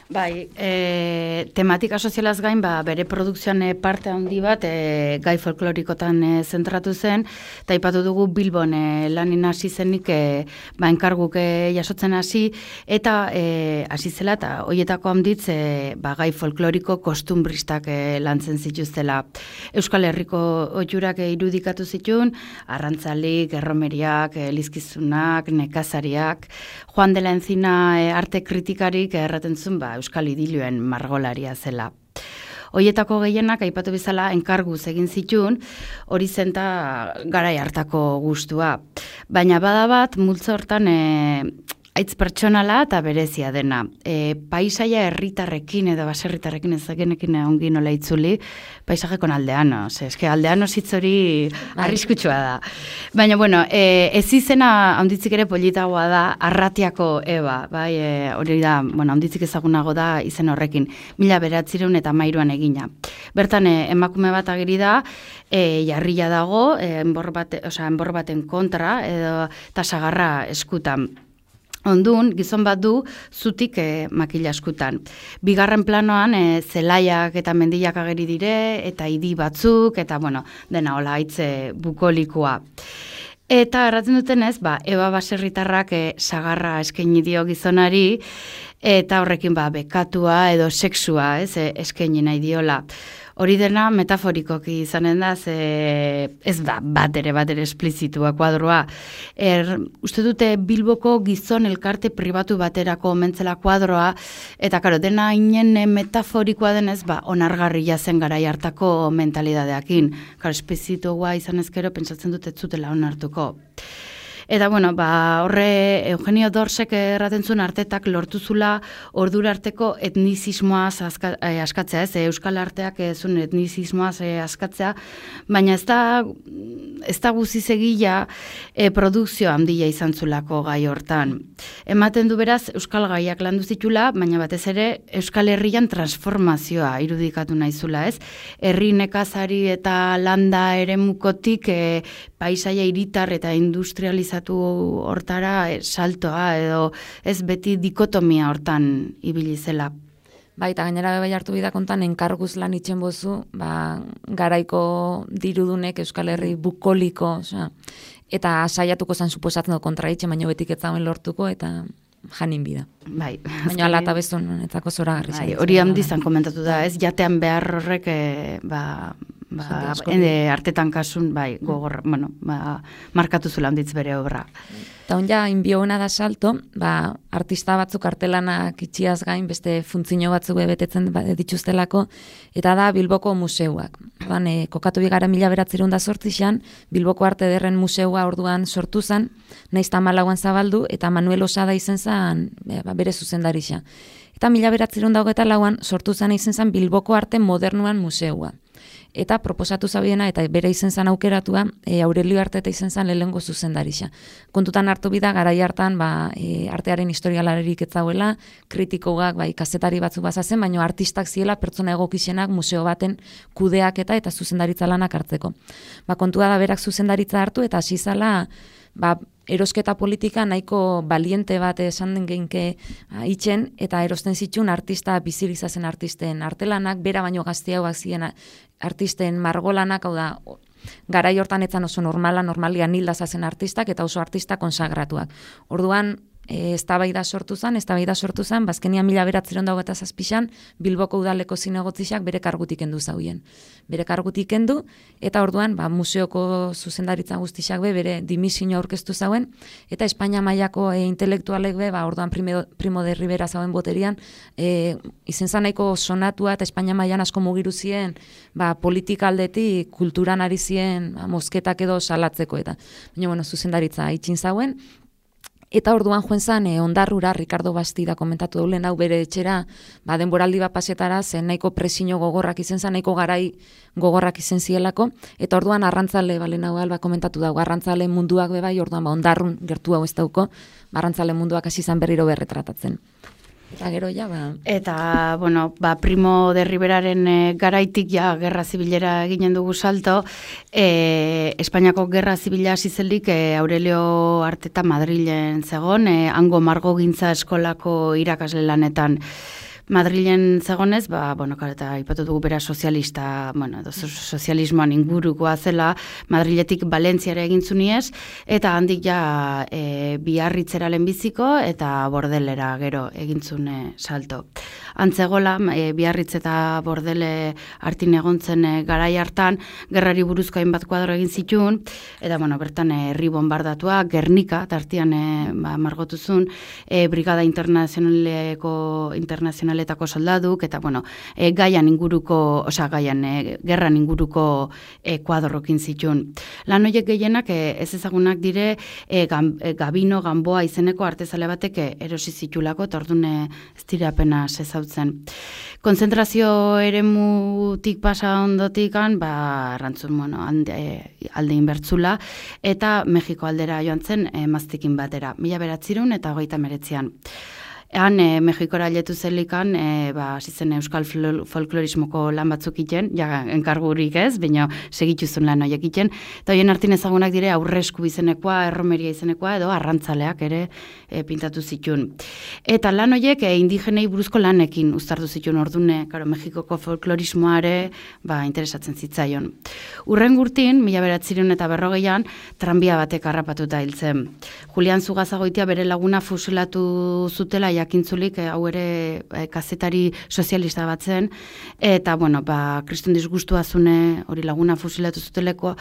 Speaker 6: Bai, e, tematika sozialaz gain, ba, bere produkzioan e, parte handi bat e, gai folklorikotan e, zentratu zen, eta aipatu dugu Bilbon e, lanin hasi zenik e, ba, enkarguk e, jasotzen hasi, eta e, hasi zela, eta hoietako handitz e, ba, gai folkloriko kostumbristak e, lantzen zituztela. Euskal Herriko ohiurak e, irudikatu zituen, arrantzalik, erromeriak, e, lizkizunak, nekazariak, Juan de la Encina e, arte kritikarik erraten zuen, ba, Euskal Idilioen margolaria zela. Hoietako gehienak aipatu bezala enkarguz egin zitun, hori zenta garai hartako gustua. Baina bada bat, multzo hortan e, aitz pertsonala eta berezia dena. E, paisaia herritarrekin edo baserritarrekin ezagenekin ongi nola itzuli, paisajekon aldeano. Ze, eske aldeano hitz hori arriskutsua da. Baina, bueno, e, ez izena handitzik ere politagoa da Arratiako Eba, bai, e, hori da, bueno, handitzik ezagunago da izen horrekin, mila beratzireun eta mairuan egina. Bertan, e, emakume bat ageri da, e, jarrila dago, e, enbor, bate, osea, enbor baten kontra, edo eta sagarra eskutan. Ondun, gizon bat du, zutik e, makila eskutan. Bigarren planoan, e, zelaiak eta mendiak ageri dire, eta idi batzuk, eta, bueno, dena hola haitze bukolikoa. Eta erratzen dutenez, ba, Eba baserritarrak e, sagarra eskaini dio gizonari, eta horrekin ba, bekatua edo sexua ez, e, eskaini nahi diola. Hori dena metaforikoki izanen da, ze ez da bat ere bat ere esplizitua kuadroa. Er, uste dute Bilboko gizon elkarte pribatu baterako omentzela kuadroa, eta karo, dena inen metaforikoa denez, ba, onargarria zen garai hartako mentalidadeakin. Karo, esplizitua izan ezkero, pentsatzen dut ez zutela onartuko. Eta, bueno, ba, horre Eugenio Dorsek erraten zuen artetak lortuzula ordura arteko etnizismoaz aska, eh, askatzea, ez, Euskal arteak zuen etnizismoaz eh, askatzea, baina ez da, ez da guzizegila eh, produkzio handia izan zulako gai hortan. Ematen du beraz, Euskal gaiak landu zitula, baina batez ere Euskal Herrian transformazioa irudikatu naizula, ez? Herri nekazari eta landa eremukotik eh, paisaia hiritar eta industrializazioa hortara e, saltoa edo ez beti dikotomia hortan ibili zela.
Speaker 7: Bai, eta gainera bai hartu bida kontan enkarguz lan itzen bozu, ba, garaiko dirudunek Euskal Herri bukoliko, osea, eta saiatuko zan suposatzen dut kontra itxe, baina betik ez zauen lortuko, eta janin bida.
Speaker 6: Bai.
Speaker 7: Baina ala eta bezon, etako zora garri.
Speaker 6: Bai, hori handizan komentatu da, ez, jatean behar horrek, e, ba, ba, ende, artetan kasun, bai, gogor, bueno, ba, markatu zula handitz bere obra.
Speaker 7: Eta onja, inbioena da salto, ba, artista batzuk artelanak itxiaz gain, beste funtzio batzuk betetzen dituztelako, eta da Bilboko museuak. Ordan, e, kokatu bigara mila beratzerun da sortzixan, Bilboko Arte Ederren museua orduan sortu zen, naiz tamalauan zabaldu, eta Manuel Osada izen zen e, ba, bere zuzendarixa. Eta mila beratzerun da hogeta lauan sortu zen izen zen Bilboko Arte Modernuan museua. Eta proposatu zabiena, eta bere izen zan aukeratua, e, Aurelio Arteta izen zan lehengo zuzendarixa. Kontutan hartu bida, garai hartan, ba, e, artearen historialarerik ez zauela, kritikoak, bai, kazetari batzuk bazazen, baina artistak ziela pertsona egokixenak museo baten kudeaketa eta zuzendaritza lanak hartzeko. Ba, kontua da berak zuzendaritza hartu, eta hasi zala, ba, erosketa politika nahiko baliente bat esan den geinke itxen, eta erosten zituen artista bizilizazen artisten artelanak, bera baino gazteagoak ziren artisten margolanak, hau da, garai hortan etzan oso normala, normalia nilda zazen artistak, eta oso artista konsagratuak. Orduan, E, eztabaida sortu zen, eztabaida sortu zen, bazkenian mila beratzeron dago eta zazpixan, Bilboko udaleko zinegotzixak bere kargutik endu zauien. Bere kargutik endu, eta orduan, ba, museoko zuzendaritza guztixak be, bere dimisio aurkeztu zauen, eta Espainia mailako e, intelektualek be, ba, orduan Primo, Primo de Rivera zauen boterian, e, izen zanaiko sonatua eta Espainia mailan asko mugiru zien, ba, politika aldetik, kulturan ari zien, ba, mosketak edo salatzeko, eta, baina, bueno, zuzendaritza itxin zauen. Eta orduan joen zan, eh, ondarrura, Ricardo Bastida komentatu daulen hau bere etxera, ba, denboraldi bat pasetara, zen nahiko presio gogorrak izen zan, nahiko garai gogorrak izen zielako, eta orduan arrantzale, balen hau alba komentatu dago, arrantzale munduak bebai, orduan ba, ondarrun gertu hau ez dauko, ba, arrantzale munduak hasi zan berriro berretratatzen. Eta gero ja, ba...
Speaker 6: Eta, bueno, ba, Primo de Riveraren e, garaitik ja gerra zibilera eginen dugu salto, e, Espainiako gerra zibila hasi zelik e, Aurelio Arteta Madrilen zegon, e, hango margogintza eskolako irakasle lanetan. Madrilen zegonez, ba, bueno, eta ipatu dugu bera sozialista, bueno, sozialismoan ingurukoa zela, Madriletik Valentziara egin zuniez, eta handik ja e, Biarritzera lehenbiziko eta Bordelera gero egin zune salto. Antzegola, e, Biarritz eta Bordele hartin egontzen e, garai hartan, gerrari buruzko hainbat kuadro egin zituen, eta bueno, bertan herri bombardatua, Gernika, tartian e, ba, margotuzun, e, Brigada Internazionaleko Internazional internazionaletako soldaduk, eta, bueno, e, gaian inguruko, osea, gaian, e, gerran inguruko e, kuadrokin zituen. Lan horiek gehienak e, ez ezagunak dire e, gam, e, Gabino Gamboa izeneko artezale batek e, erosi zitulako, eta orduan e, ez dira apenas ezautzen. Konzentrazio eremutik pasa ondotikan, ba, arrantzun, bueno, alde, alde inbertzula, eta Mexiko aldera joan zen e, maztikin batera, mila beratzirun eta hogeita meretzian. Han, e, Mexikora letu zelikan, e, ba, zizen euskal folklorismoko lan batzuk iten, ja, enkargurik ez, baina segituzun lan horiek iten, eta horien artin ezagunak dire aurresku izenekoa, erromeria izenekoa, edo arrantzaleak ere e, pintatu zituen. Eta lan horiek e, indigenei buruzko lanekin uztartu zituen ordune, karo, Mexikoko folklorismoare ba, interesatzen zitzaion. Urren gurtin, mila beratzireun eta berrogeian, tranbia batek harrapatuta hiltzen. Julian Zugazagoitia bere laguna fusilatu zutela jakintzulik, hau ere e, kazetari sozialista bat zen, eta, bueno, ba, kriston disgustua zune hori laguna fusilatu zuteleko,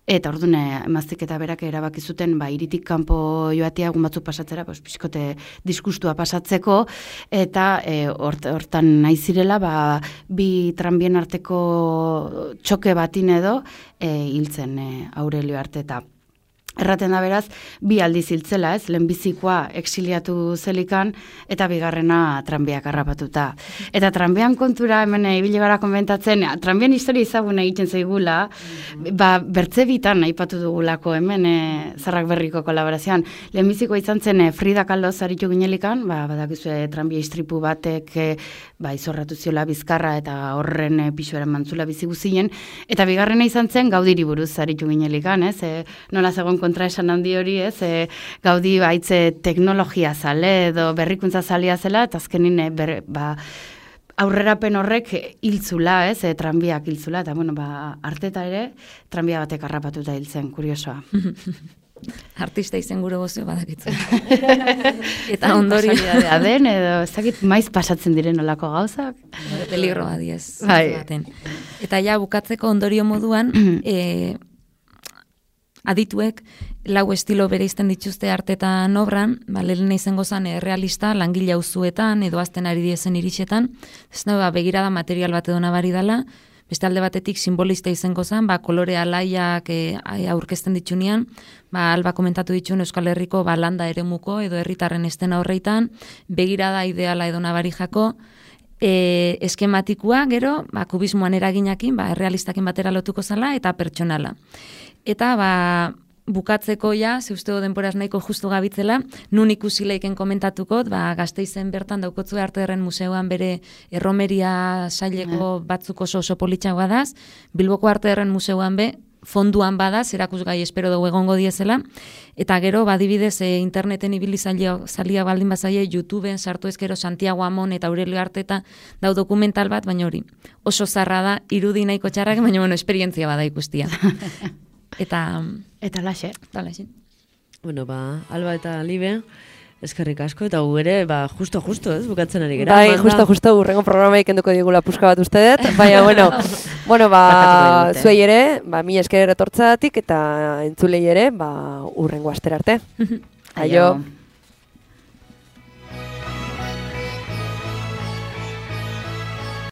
Speaker 6: eta ordune emaztik eta berak erabaki zuten, ba, iritik kanpo joatea egun batzuk pasatzera, pues, pixkote disgustua pasatzeko, eta e, hort, hortan nahi zirela, ba, bi tranbien arteko txoke batin edo e, hiltzen e, Aurelio Arteta. Erraten da beraz, bi aldiz hiltzela, ez, lehenbizikoa exiliatu zelikan, eta bigarrena tranbiak harrapatuta. Eta tranbian kontura, hemen ibili gara konbentatzen, tranbian historia izagun egiten zaigula, ba, bertze bitan aipatu dugulako hemen e, Zarrak Berriko kolaborazioan. Lehenbizikoa izan zen e, Frida Kahlo zaritu ginelikan, ba, badakizue tranbia istripu batek e, ba, izorratu ziola Bizkarra eta horren e, pixuaren mantzula bizi guzien, eta bigarrena izan zen Gaudiri buruz zaritu ginelikan, ez, e, nola zegoen kontra esan handi hori, ez, e, Gaudi baitze teknologia zale edo berrikuntza zalia zela, eta azkenin e, ber, ba, aurrerapen horrek hiltzula, ez, e, tranbiak hiltzula, eta bueno, ba, Arteta ere tranbia batek harrapatuta hiltzen, kuriosoa.
Speaker 7: Artista izen gure gozio badakitzu. Eta ondorio
Speaker 6: da den, edo ezagit maiz pasatzen diren olako gauzak.
Speaker 7: Peligro badiez.
Speaker 6: Bai.
Speaker 7: Eta ja, bukatzeko ondorio moduan, e, adituek lau estilo bereizten dituzte Artetan obran, ba, lehen izango zen e, realista, langile auzuetan edo azten ari diezen iritsetan, ez da, ba, begirada material bat edo nabari dela, beste alde batetik simbolista izango zen, ba, kolore alaiak e, aurkezten ditunean, ba, alba komentatu dituen Euskal Herriko ba, landa eremuko edo herritarren estena horreitan, begirada ideala edo nabari jako, E, eskematikoa, gero, ba, kubismoan eraginakin, ba, errealistakin batera lotuko zala, eta pertsonala. Eta, ba, bukatzeko ja, zeusteo denporaz nahiko justu gabitzela, nun ikusi leiken komentatuko, ba, Gasteizen bertan daukotzue Artearen Museoan bere erromeria saileko batzuk oso oso politxagoa daz, Bilboko Artearen Museoan be, fonduan badaz, erakusgai espero dugu egongo diezela, eta gero, badibidez, e, interneten ibili zalia, zalia baldin bazaie, YouTubeen sartu ezkero Santiago Amon eta Aurelio Arteta dau dokumental bat, baina hori, oso zarra da, irudi nahiko txarrak, baina bueno, esperientzia bada ikustia. Eta...
Speaker 6: Eta laxe.
Speaker 7: Eta laxe.
Speaker 1: Bueno, ba, Alba eta Libe, eskerrik asko, eta gu ere, ba, justo, justo, ez, bukatzen ari gara.
Speaker 2: Bai, justo, justo, urrengo programa ikenduko digula puska bat ustedet, baina, bueno, bueno, ba, zuei ere, ba, mi esker etortzatik, eta entzulei ere, ba, urrengo astera arte. Aio.